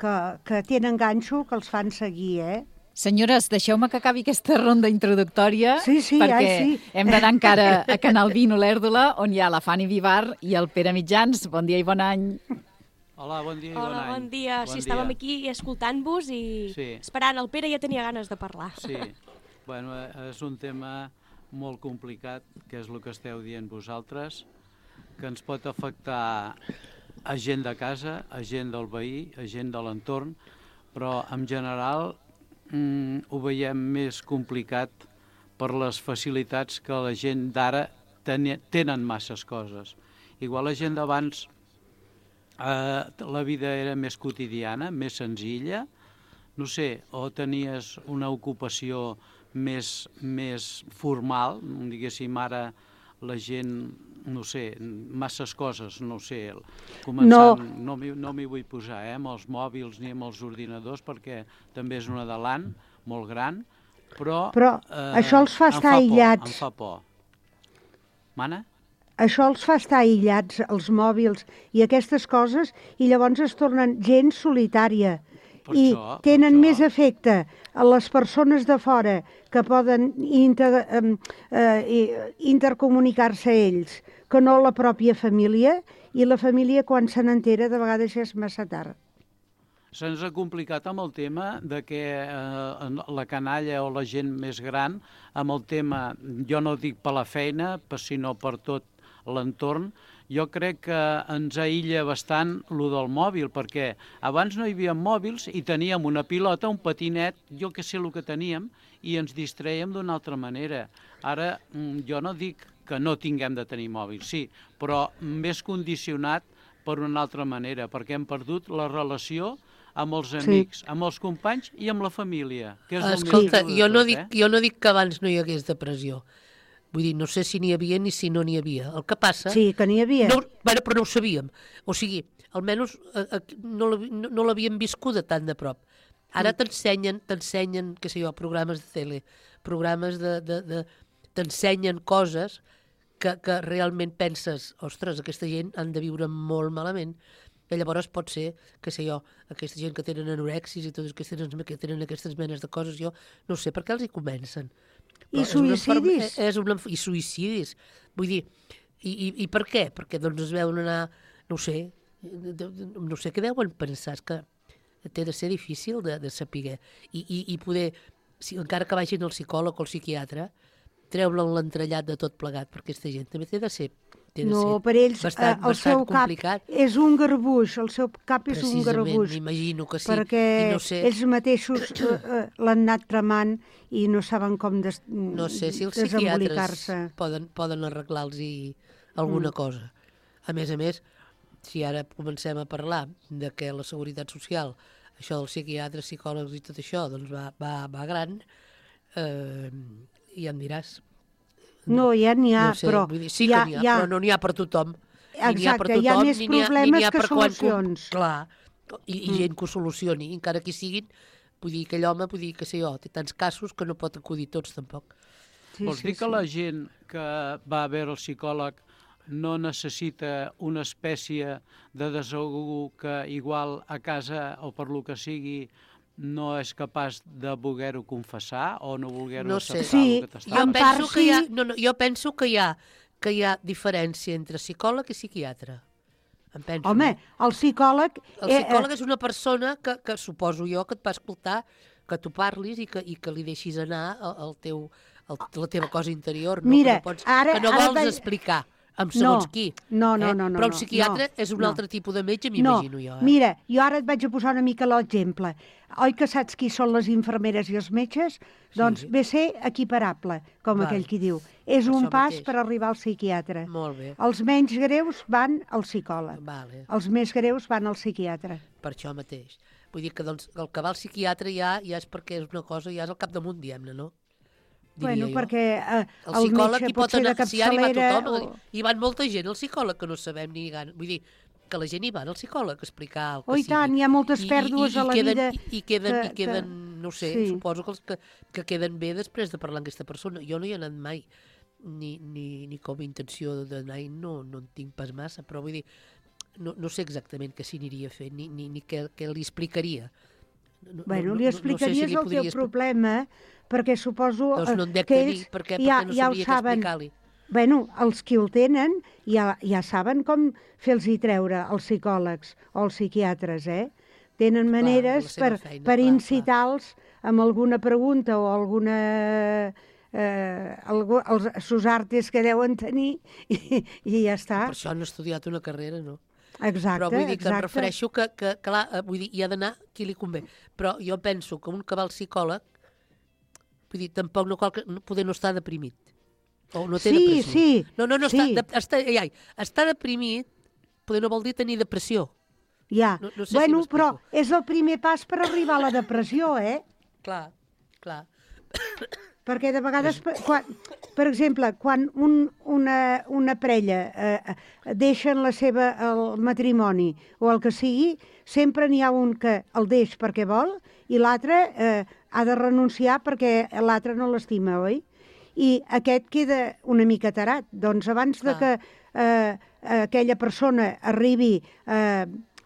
que, que tenen ganxo, que els fan seguir, eh? Senyores, deixeu-me que acabi aquesta ronda introductòria, sí, sí, perquè ai, sí. hem d'anar encara a Canal vint Olèrdola, on hi ha la Fanny Vivar i el Pere Mitjans. Bon dia i bon any. Hola, bon dia i Hola, bon any. bon dia. Bon Sí, dia. estàvem aquí escoltant-vos i Sí. esperant. El Pere ja tenia ganes de parlar. Sí, bueno, és un tema molt complicat, que és el que esteu dient vosaltres, que ens pot afectar a gent de casa, a gent del veí, a gent de l'entorn, però en general mm, ho veiem més complicat per les facilitats que la gent d'ara ten tenen masses coses. Igual la gent d'abans eh, la vida era més quotidiana, més senzilla, no sé, o tenies una ocupació més, més formal, diguéssim, ara la gent, no sé, masses coses, no sé, començant, no, no m'hi no m'hi vull posar, eh, amb els mòbils ni amb els ordinadors, perquè també és un adalant molt gran, però... Però eh, això els fa estar aïllats. Em fa por. Mana? Això els fa estar aïllats, els mòbils i aquestes coses, i llavors es tornen gent solitària. Per I això, per tenen això. més efecte a les persones de fora que poden inter, eh, eh, intercomunicar-se ells que no la pròpia família, i la família quan se n'entera de vegades ja és massa tard. Se'ns ha complicat amb el tema de que eh, la canalla o la gent més gran, amb el tema, jo no dic per la feina, sinó per tot l'entorn, jo crec que ens aïlla bastant lo del mòbil, perquè abans no hi havia mòbils i teníem una pilota, un patinet, jo que sé el que teníem, i ens distrèiem d'una altra manera. Ara, jo no dic que no tinguem de tenir mòbil, sí, però més condicionat per una altra manera, perquè hem perdut la relació amb els amics, sí. amb els companys i amb la família. Que és Escolta, el jo, tot, no dic, eh? jo no dic que abans no hi hagués depressió. Vull dir, no sé si n'hi havia ni si no n'hi havia. El que passa... Sí, que n'hi havia. No, bueno, però no ho sabíem. O sigui, almenys eh, eh, no l'hav- no, no l'havíem viscuda tan de prop. Ara t'ensenyen, t'ensenyen, què sé jo, programes de tele, programes de... de, de t'ensenyen coses que, que realment penses, ostres, aquesta gent han de viure molt malament. I llavors pot ser, què sé jo, aquesta gent que tenen anorexis i totes aquestes, que tenen aquestes menes de coses, jo no sé per què els hi comencen. I Però és una suïcidis. enferme- És una, I suïcidis. Vull dir, i, i, i per què? Perquè doncs es veuen anar, no ho sé, de- de- no sé què deuen pensar, és que té de ser difícil de, de saber. I, i, I poder, si, encara que vagin al psicòleg o al psiquiatre, treure l'entrellat de tot plegat, perquè aquesta gent també té de ser, té de No, ser per ells bastant, eh, el bastant seu cap complicat. és un garbuix, el seu cap és un Precisament, garbuix. m'imagino que sí. Perquè I no sé- ells mateixos eh, eh, l'han anat tramant i no saben com des, No sé si els desembolicar-se. psiquiatres poden, poden arreglar-los alguna Mm. cosa. A més a més, si ara comencem a parlar de que la seguretat social, això dels psiquiatres, psicòlegs i tot això, doncs va, va, va gran, eh, ja em diràs. No, ja n'hi ha, no sé, però... Vull dir, sí hi ha- que n'hi ha, hi ha- però no n'hi ha per tothom. Ni n'hi ha per Exacte, hi ha tothom, més ni n'hi ha- ni problemes n'hi ha que per quan com- solucions. Clar, i, i Mm. gent que ho solucioni, encara que siguin, vull dir, aquell home, vull dir, que sé jo, té tants casos que no pot acudir tots, tampoc. Sí, Vols sí, dir que sí. la gent que va a veure el psicòleg no necessita una espècie de desahogo que igual a casa o per lo que sigui no és capaç de voler-ho confessar o no voler-ho No sé, acceptar el que t'està jo passant? penso que hi ha, no, no, jo penso que hi ha, que hi ha diferència entre psicòleg i psiquiatre. Em penso. Home, el psicòleg... El psicòleg és una persona que, que suposo jo que et va escoltar, que tu parlis i que, i que li deixis anar el, el teu, el, la teva cosa interior. No? Mira, que no, pots, ara- que no ara vols vaig- explicar amb segons No, qui. no, no, eh? no, no, Però un no, psiquiatre no, és un no. altre tipus de metge, m'imagino no, jo. Eh? Mira, jo ara et vaig a posar una mica l'exemple. Oi que saps qui són les infermeres i els metges? Doncs Sí. ve a ser equiparable, com Val. aquell qui diu. És Per un això pas mateix. per arribar al psiquiatre. Molt bé. Els menys greus van al psicòleg. Vale. Els més greus van al psiquiatre. Per això mateix. Vull dir que doncs, el que va al psiquiatre ja, ja és perquè és una cosa, ja és al capdamunt, diguem-ne, no? Diria Bueno, jo. perquè eh, El el psicòleg metge hi pot pot ser de anar, si ara hi va capçalera... tothom, o... hi van molta gent al psicòleg que no sabem ni gana. Vull dir, que la gent hi va al psicòleg a explicar el que Oh, i sigui. tant, hi ha moltes I- i- pèrdues i a la queden, vida I, i queden, que- i queden que- no sé, sí. suposo que, els que, que queden bé després de parlar amb aquesta persona. Jo no hi he anat mai, ni, ni, ni com a intenció d'anar-hi, no, no en tinc pas massa, però vull dir, no, no sé exactament què s'hi aniria a fer, ni, ni, ni què, què li explicaria. No, Bueno, no, li no- no sé si explicaries li el teu podria expli- problema, perquè suposo Doncs no en eh, dec que de ells dir, per què? ja, Perquè no ja ho sabria què saben. explicar-li. bueno, els que el tenen ja, ja saben com fer-los-hi treure els psicòlegs o els psiquiatres, eh? Tenen maneres per, feina, per incitar-los amb alguna pregunta o alguna... Eh, algú, els sus artes que deuen tenir i, i ja està. Per això han estudiat una carrera, no? Exacte, Però vull dir que exacte. em refereixo que, que clar, vull dir, hi ha d'anar qui li convé. Però jo penso que un que va al psicòleg, vull dir, tampoc no cal que, poder no estar deprimit. O no té sí, depressió. sí. No, no, no, sí. està, de, està, ai, ai, està deprimit, poder no vol dir tenir depressió. Ja, no, no sé bueno, si però és el primer pas per arribar a la depressió, eh? Clar, clar. Perquè de vegades, per, quan, per exemple, quan un, una, una parella eh, deixen la seva, el matrimoni o el que sigui, sempre n'hi ha un que el deix perquè vol i l'altre eh, ha de renunciar perquè l'altre no l'estima, oi? I aquest queda una mica tarat. Doncs abans Clar. de que eh, aquella persona arribi eh,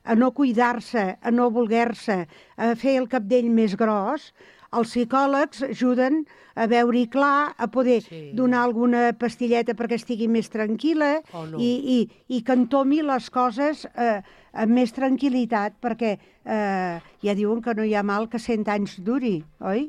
a no cuidar-se, a no voler-se, a fer el capdell més gros, els psicòlegs ajuden a veure-hi clar, a poder sí. donar alguna pastilleta perquè estigui més tranquil·la oh, no. i, i, i que entomi les coses eh, amb més tranquil·litat, perquè eh, ja diuen que no hi ha mal que cent anys duri, oi?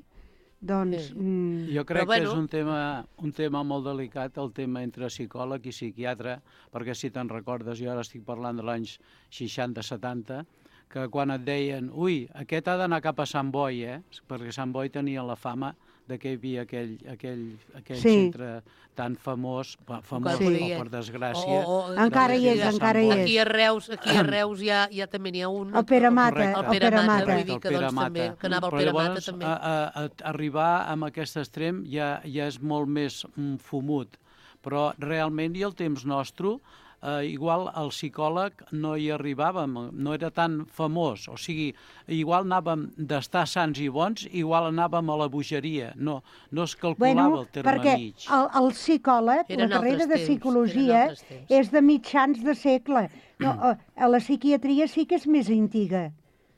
Doncs... Sí. Mm, jo crec però, que bueno... és un tema, un tema molt delicat, el tema entre psicòleg i psiquiatre, perquè si te'n recordes, jo ara estic parlant de l'anys seixanta setanta, que quan et deien, ui, aquest ha d'anar cap a Sant Boi, eh? Perquè Sant Boi tenia la fama de que hi havia aquell, aquell, aquell sí. centre tan famós, famós sí. o per desgràcia. O, o, encara hi és, encara hi és. Aquí a Reus, aquí a Reus ja, ja també n'hi ha un. El Pere Mata. El Pere Mata, vull dir que, doncs, doncs, també, que anava el Pere Mata també. A, a, a arribar a aquest extrem ja, ja és molt més mm, fumut, però realment i el temps nostre, Uh, igual el psicòleg no hi arribàvem, no era tan famós, o sigui, igual anàvem d'estar sants i bons, igual anàvem a la bogeria, no, no es calculava bueno, el terme perquè mig. El, el psicòleg, eren la carrera de psicologia, és de mitjans de segle. No, a la psiquiatria sí que és més antiga.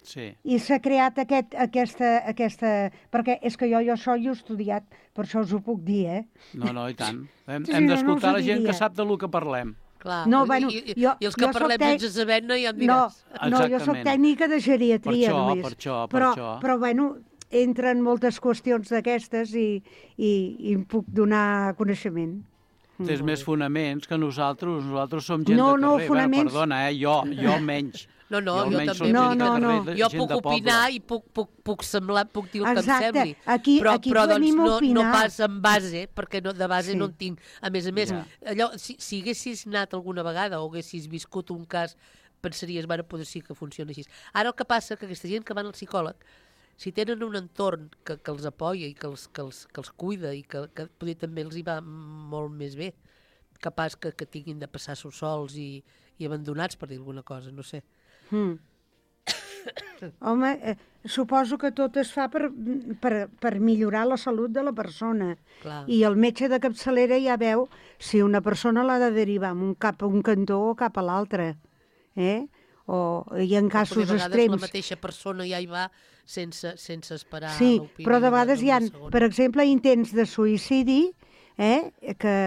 Sí. I s'ha creat aquest, aquesta, aquesta... Perquè és que jo, jo això hi he estudiat, per això us ho puc dir, eh? No, no, i tant. Hem, sí, hem d'escoltar no, no la gent que sap de lo que parlem. Clar, no, bueno, I, jo, i els que parlem tec... sense saber no hi en diràs. No, no, jo soc tècnica de geriatria per això, només. Per això, per però, això. Però, bueno, entren moltes qüestions d'aquestes i, i, i em puc donar coneixement. Tens més fonaments que nosaltres, nosaltres som gent no, de carrer. No, fonaments... Bueno, perdona, eh? jo, jo menys. No, no, jo, jo també. No, no, no. Jo puc opinar i puc, puc, puc semblar, puc dir el Exacte. que em sembli. Aquí, però aquí però doncs, no, opinar. no pas en base, perquè no, de base sí. no en tinc. A més a més, ja. allò, si, si haguessis anat alguna vegada o haguessis viscut un cas, pensaries, bueno, potser sí que funciona així. Ara el que passa que aquesta gent que van al psicòleg, si tenen un entorn que, que els apoya i que els, que els, que els cuida i que, que poder també els hi va molt més bé, capaç que, que tinguin de passar-s'ho sols i, i abandonats, per dir alguna cosa, no sé. Mm. Home, eh, suposo que tot es fa per, per, per millorar la salut de la persona. Clar. I el metge de capçalera ja veu si una persona l'ha de derivar un cap a un cantó o cap a l'altre. Eh? O, i en casos extrems... extrems... la mateixa persona ja hi va sense, sense esperar sí, l'opinió. Sí, però de vegades hi ha, per exemple, intents de suïcidi eh, que,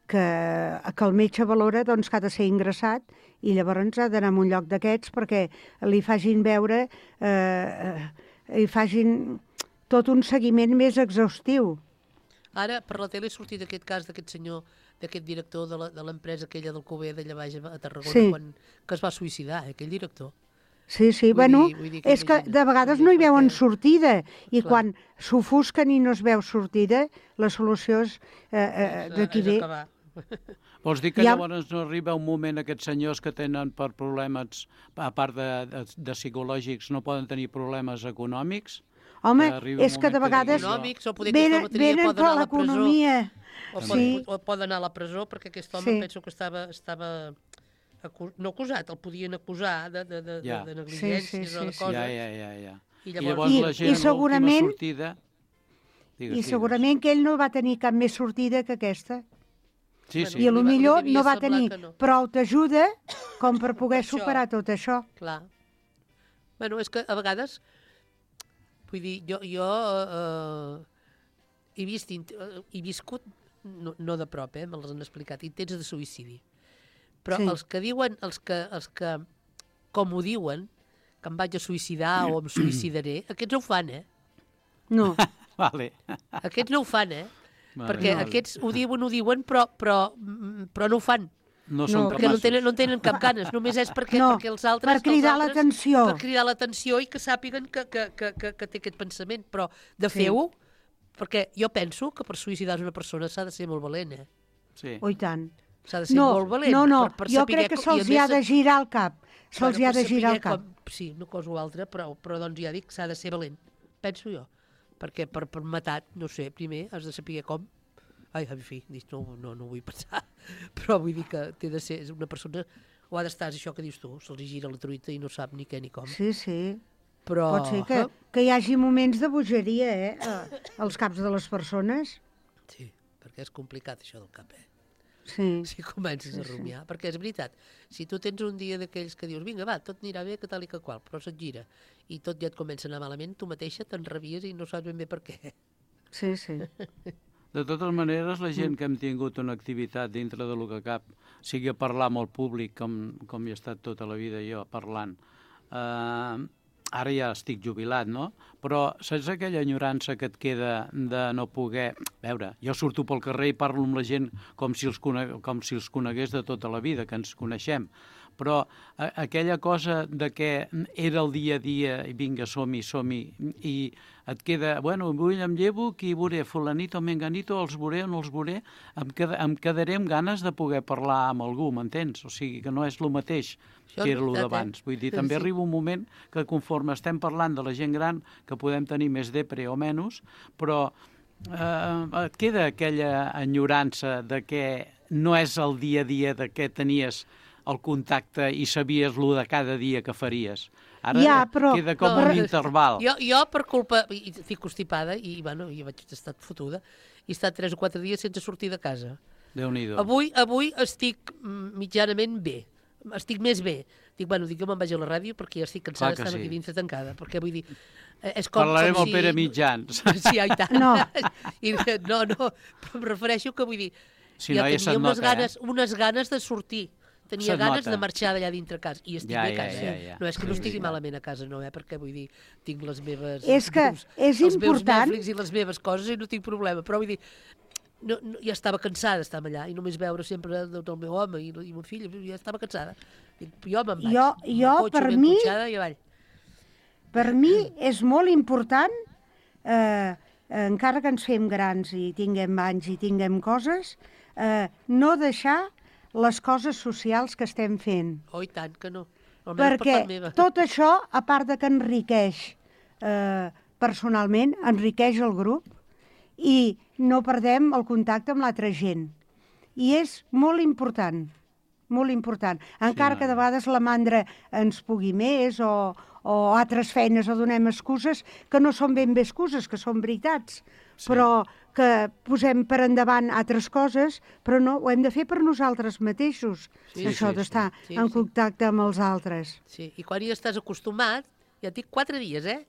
que, que el metge valora doncs, que ha de ser ingressat i llavors ha d'anar a un lloc d'aquests perquè li facin veure, eh, li facin tot un seguiment més exhaustiu. Ara, per la tele ha sortit aquest cas d'aquest senyor, d'aquest director de l'empresa aquella del Cuber d'allà baix a Tarragona, sí. quan, que es va suïcidar, eh, aquell director. Sí, sí, vull bueno, dir, vull dir que és que de vegades no hi veuen sortida i Clar. quan s'ofusquen i no es veu sortida, la solució és eh, eh, d'aquí ve. Vols dir que ja... llavors no arriba un moment aquests senyors que tenen per problemes, a part de, de, de psicològics, no poden tenir problemes econòmics? Home, és que de vegades econòmics, o poder venen, venen per l'economia. O, sí. pot, o pot anar a la presó, perquè aquest home sí. penso que estava, estava acu... no acusat, el podien acusar de, de, de, ja. de negligències sí, sí, sí, o de sí. coses. Ja, ja, ja, ja. I llavors, I llavors I, la gent, i segurament, l'última sortida... Digues, I segurament que ell no va tenir cap més sortida que aquesta. Sí, sí. I a lo millor no va tenir no. prou t'ajuda com per poder superar tot això. Clar. Bueno, és que a vegades, vull dir, jo, jo eh, he, vist, he viscut no, no de prop, eh, me les han explicat, intents de suïcidi. Però Sí. els que diuen, els que, els que, com ho diuen, que em vaig a suïcidar o em suïcidaré, aquests no ho fan, eh? No. Vale. Aquests no ho fan, eh? Vale, Perquè vale. aquests ho diuen, ho diuen, però, però, mm, però no ho fan. No són perquè no capaços. tenen, no tenen cap ganes, només és perquè, No, perquè els altres... per cridar els altres- l'atenció. Per cridar l'atenció i que sàpiguen que, que, que, que, que té aquest pensament. Però de Sí. fer-ho, perquè jo penso que per suïcidar una persona s'ha de ser molt valent, eh? Sí. Oh, i tant. S'ha de ser No, molt valent. no, no, per, per jo saber crec que com- i se'ls a hi ha més- de girar el cap. Se'ls hi ha per de girar el saber cap. Com, sí, una cosa o altra, però, però doncs ja dic, s'ha de ser valent. Penso jo. Perquè per, per matar, no sé, primer has de saber com. Ai, en fi, dic, no, no, no ho vull pensar. Però vull dir que té de ser una persona... O ha d'estar, és això que dius tu, se'ls gira la truita i no sap ni què ni com. Sí, sí. Però... Pot ser que, que hi hagi moments de bogeria, eh, a- als caps de les persones. Sí, perquè és complicat això del cap, eh? Sí. Si comences Sí, a sí. rumiar, perquè és veritat, si tu tens un dia d'aquells que dius, vinga, va, tot anirà bé, que tal i que qual, però se't gira i tot ja et comença a anar malament, tu mateixa t'enrabies i no saps ben bé per què. Sí, sí. De totes maneres, la gent que hem tingut una activitat dintre de lo que cap, sigui a parlar amb el públic, com, com hi he estat tota la vida jo parlant, eh, ara ja estic jubilat, no? Però saps aquella enyorança que et queda de no poder... A veure, jo surto pel carrer i parlo amb la gent com si els, cone... com si els conegués de tota la vida, que ens coneixem, però a, aquella cosa de que era el dia a dia i vinga, som-hi, som-hi, i et queda, bueno, avui em llevo, qui veuré, fulanito, menganito, els veuré o no els veuré, em, qued em quedaré amb ganes de poder parlar amb algú, m'entens? O sigui, que no és el mateix Això que és era el veritat, d'abans. eh? Vull dir, també Sí. arriba un moment que conforme estem parlant de la gent gran, que podem tenir més depre o menys, però eh, et queda aquella enyorança de que no és el dia a dia de què tenies el contacte i sabies lo de cada dia que faries. Ara Ja, però- queda com No, un però- interval. Jo, jo per culpa, i estic constipada, i bueno, jo vaig estar fotuda, i he estat tres o quatre dies sense sortir de casa. Déu-n'hi-do. Avui, avui estic mm, mitjanament bé, estic més bé. Dic, bueno, dic, jo me'n vaig a la ràdio perquè ja estic cansada Clar que d'estar sí. aquí dintre tancada, perquè vull dir, eh, és com, Parlarem com al si... Pere Mitjans. Sí, ai, tant. No. I, no, no, però em refereixo que vull dir, Si jo no, ja tenia se't unes, nota, ganes, eh? unes ganes de sortir. Tenia Se't ganes nota. de marxar d'allà dintre casa. I estic Ja, bé a ja, casa. ja, ja. No és que no Sí, estigui sí. malament a casa, no, eh? Perquè vull dir, tinc les meves... És que els meus- és els meus important- Netflix i les meves coses i no tinc problema. Però vull dir, no, no, ja estava cansada d'estar allà i només veure sempre el, el meu home i, i mon fill, ja estava cansada. Dic, jo me'n vaig. Jo- amb el jo, cotxe per ben mi- cotxada i avall. Per mi és molt important, eh, encara que ens fem grans i tinguem anys i tinguem coses, eh, no deixar les coses socials que estem fent. Oh, i tant que no. Almenys per Perquè part meva. tot això, a part de que enriqueix eh, personalment, enriqueix el grup i no perdem el contacte amb l'altra gent. I és molt important, molt important. Encara Sí, que de vegades la mandra ens pugui més o, o altres feines o donem excuses que no són ben bé excuses, que són veritats, sí. però que posem per endavant altres coses, però no, ho hem de fer per nosaltres mateixos, Sí, això sí, d'estar sí. Sí, en sí. contacte amb els altres. Sí, i quan hi estàs acostumat, ja et dic quatre dies, eh?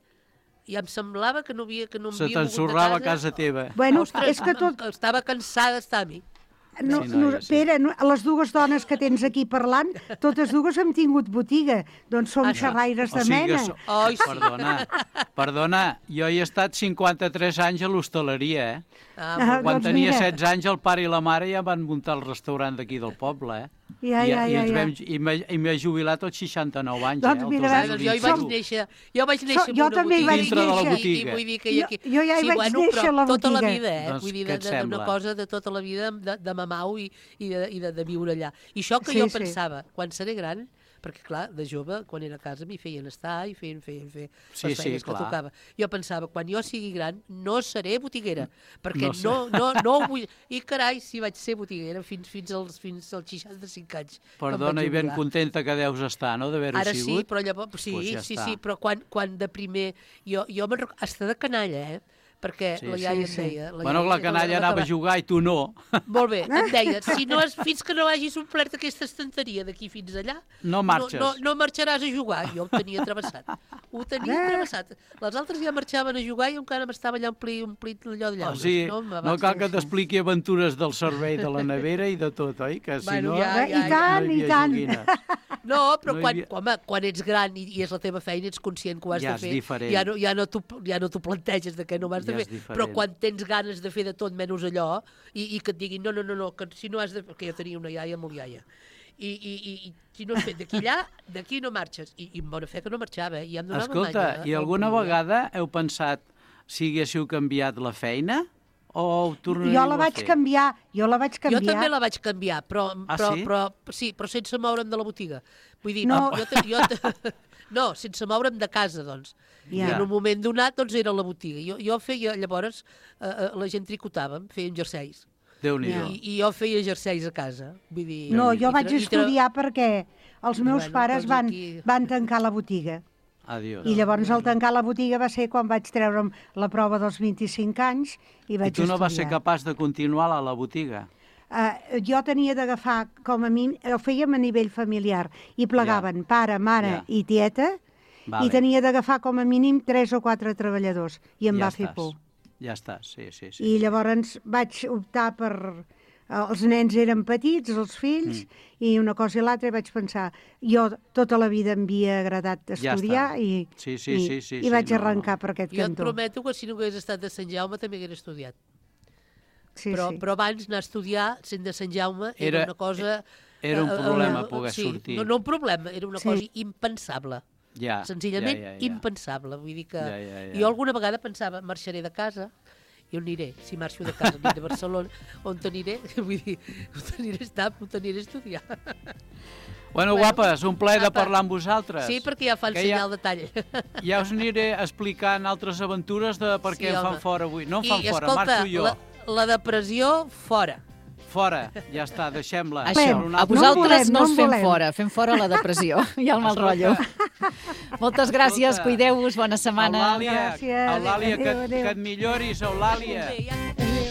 I em semblava que no havia que no em Se havia mogut de t'ensorrava a casa teva. Bueno, Ostres, és que tot... estava cansada d'estar a mi. No, Sí, no, noia, sí. Pere, no, les dues dones que tens aquí parlant, totes dues hem tingut botiga, doncs som Això. xerraires O de sigui que mena. so- Ai, sí. Perdona, perdona, jo hi he estat cinquanta-tres anys a l'hostaleria, eh? Ah, Ah, molt Quan doncs tenia mira. setze anys, el pare i la mare ja van muntar el restaurant d'aquí del poble, eh? Ja, I, ja, i, ja, ens ja. vam, i m'he i m'he jubilat als seixanta-nou anys, Doncs eh? mira, el veus, Doncs dos jo mil hi vaig vint u. néixer, jo vaig néixer en jo una també hi botiga. vaig Dintre de la néixer. botiga. I, i vull dir que hi ha Jo- aquí... jo ja hi vaig bueno, néixer però a la tota la botiga. vida, eh? Doncs vull dir, què de- et de- d'una sembla? cosa de tota la vida de, de mamau i, i, de, i de, de viure allà. I això que Sí, jo sí. pensava, quan seré gran, perquè clar, de jove, quan era a casa m'hi feien estar i feien, feien, feien Sí, les sí, feines que clar. tocava. Jo pensava, quan jo sigui gran, no seré botiguera, perquè No sé. no, no, no ho vull... I carai, si vaig ser botiguera fins, fins, als, fins als seixanta-cinc anys. que em Perdona, vaig i ben jubilar. contenta que deus estar, no?, d'haver-ho Ara sigut. sí, però llavors... Sí, Pues ja sí, està. sí, però quan, quan de primer... Jo, jo me'n rec- hasta de canalla, eh? perquè Sí, la sí, iaia sí. em deia... La Bueno, iaia- la canalla anava a jugar i tu no. Molt bé, em deia, si no has, fins que no hagis omplert aquesta estanteria d'aquí fins allà, No marxes. No, no, no marxaràs a jugar. Jo ho tenia travessat. Ho tenia Eh? travessat. Les altres ja marxaven a jugar i encara m'estava allà omplit, omplit allò de O llaunes. sigui, no, no cal que t'expliqui aventures del servei de la nevera i de tot, oi? Que si Bueno, no, ja, ja, I tant, no hi i havia tant. joguines. No, però No hi quan, havia- home, quan ets gran i, i és la teva feina, ets conscient que ho has Ja de és fer. diferent. Ja no, ja no t'ho ja no t'ho planteges de què no ho has Ja de és fer. diferent. Però quan tens ganes de fer de tot menys allò i, i que et diguin no, no, no, no, que si no has de... Perquè jo tenia una iaia molt iaia. I, i, i, i si no has fet d'aquí allà, d'aquí no marxes. I, I amb bona fe que no marxava, eh? I ja em donava Escolta, manya, i el alguna primer. vegada heu pensat si haguéssiu canviat la feina o ho tornaríeu Jo la vaig a fer? canviar, jo la vaig canviar. Jo també la vaig canviar, però, Ah, però, sí? però, sí, però sense moure'm de la botiga. Vull dir, No. no. jo, te- jo, te- no, sense moure'm de casa, doncs. Ja. I en un moment donat, doncs, era la botiga. Jo, jo feia, llavors, eh, eh, la gent tricotava, feien jerseis. Déu-n'hi-do. I, I jo feia jerseis a casa. Vull dir, No, i jo tra- vaig i tra- estudiar perquè els meus Bueno, pares doncs van, aquí- van tancar la botiga. Adiós. I llavors al tancar la botiga va ser quan vaig treure'm la prova dels vint-i-cinc anys i I vaig tu no vas ser estudiar. capaç de continuar a la botiga? Uh, jo tenia d'agafar com a mi, ho fèiem a nivell familiar, i plegaven pare, mare Ja. i tieta, Vale. i tenia d'agafar com a mínim tres o quatre treballadors, i em ja va fer estàs. por. Ja estàs, sí, sí. sí. I llavors vaig optar per... Els nens eren petits, els fills, mm. i una cosa i l'altra, i vaig pensar, jo tota la vida em havia agradat Ja estudiar, està. i, Sí, sí, i, sí, sí, i sí, vaig no, arrencar no. per aquest Jo et cantó. prometo que si no hagués estat de Sant Jaume també hagués estudiat. Sí, però, sí. però abans anar a estudiar sent de Sant Jaume era, Era- una cosa... era un eh, eh, problema eh, poder sí, sortir. No, no un problema, era una Sí. cosa impensable. Ja, Senzillament ja, ja, ja. impensable. Vull dir que Ja, ja, ja. jo alguna vegada pensava, marxaré de casa, i on aniré? Si marxo de casa, aniré de Barcelona, on t'aniré? Vull dir, on t'aniré a estar, on t'aniré a estudiar. Bueno, guapes, un plaer de parlar amb vosaltres. Sí, perquè ja fan Que ja- senyal de tall. Ja us aniré explicant altres aventures de per què Sí, em fan home. fora avui. No em I, fan fora, escolta, marxo jo. La, la depressió, fora. Fora, ja està, deixem-la. Això, Per una a altra- vosaltres volem, no no us en fem volem. fora, fem fora la depressió i el mal rotllo. Moltes gràcies, Escolta, cuideu-vos, bona setmana. Eulàlia, Gràcies. Eulàlia, que, Adéu, adéu. que et milloris, Eulàlia. Bé, ja-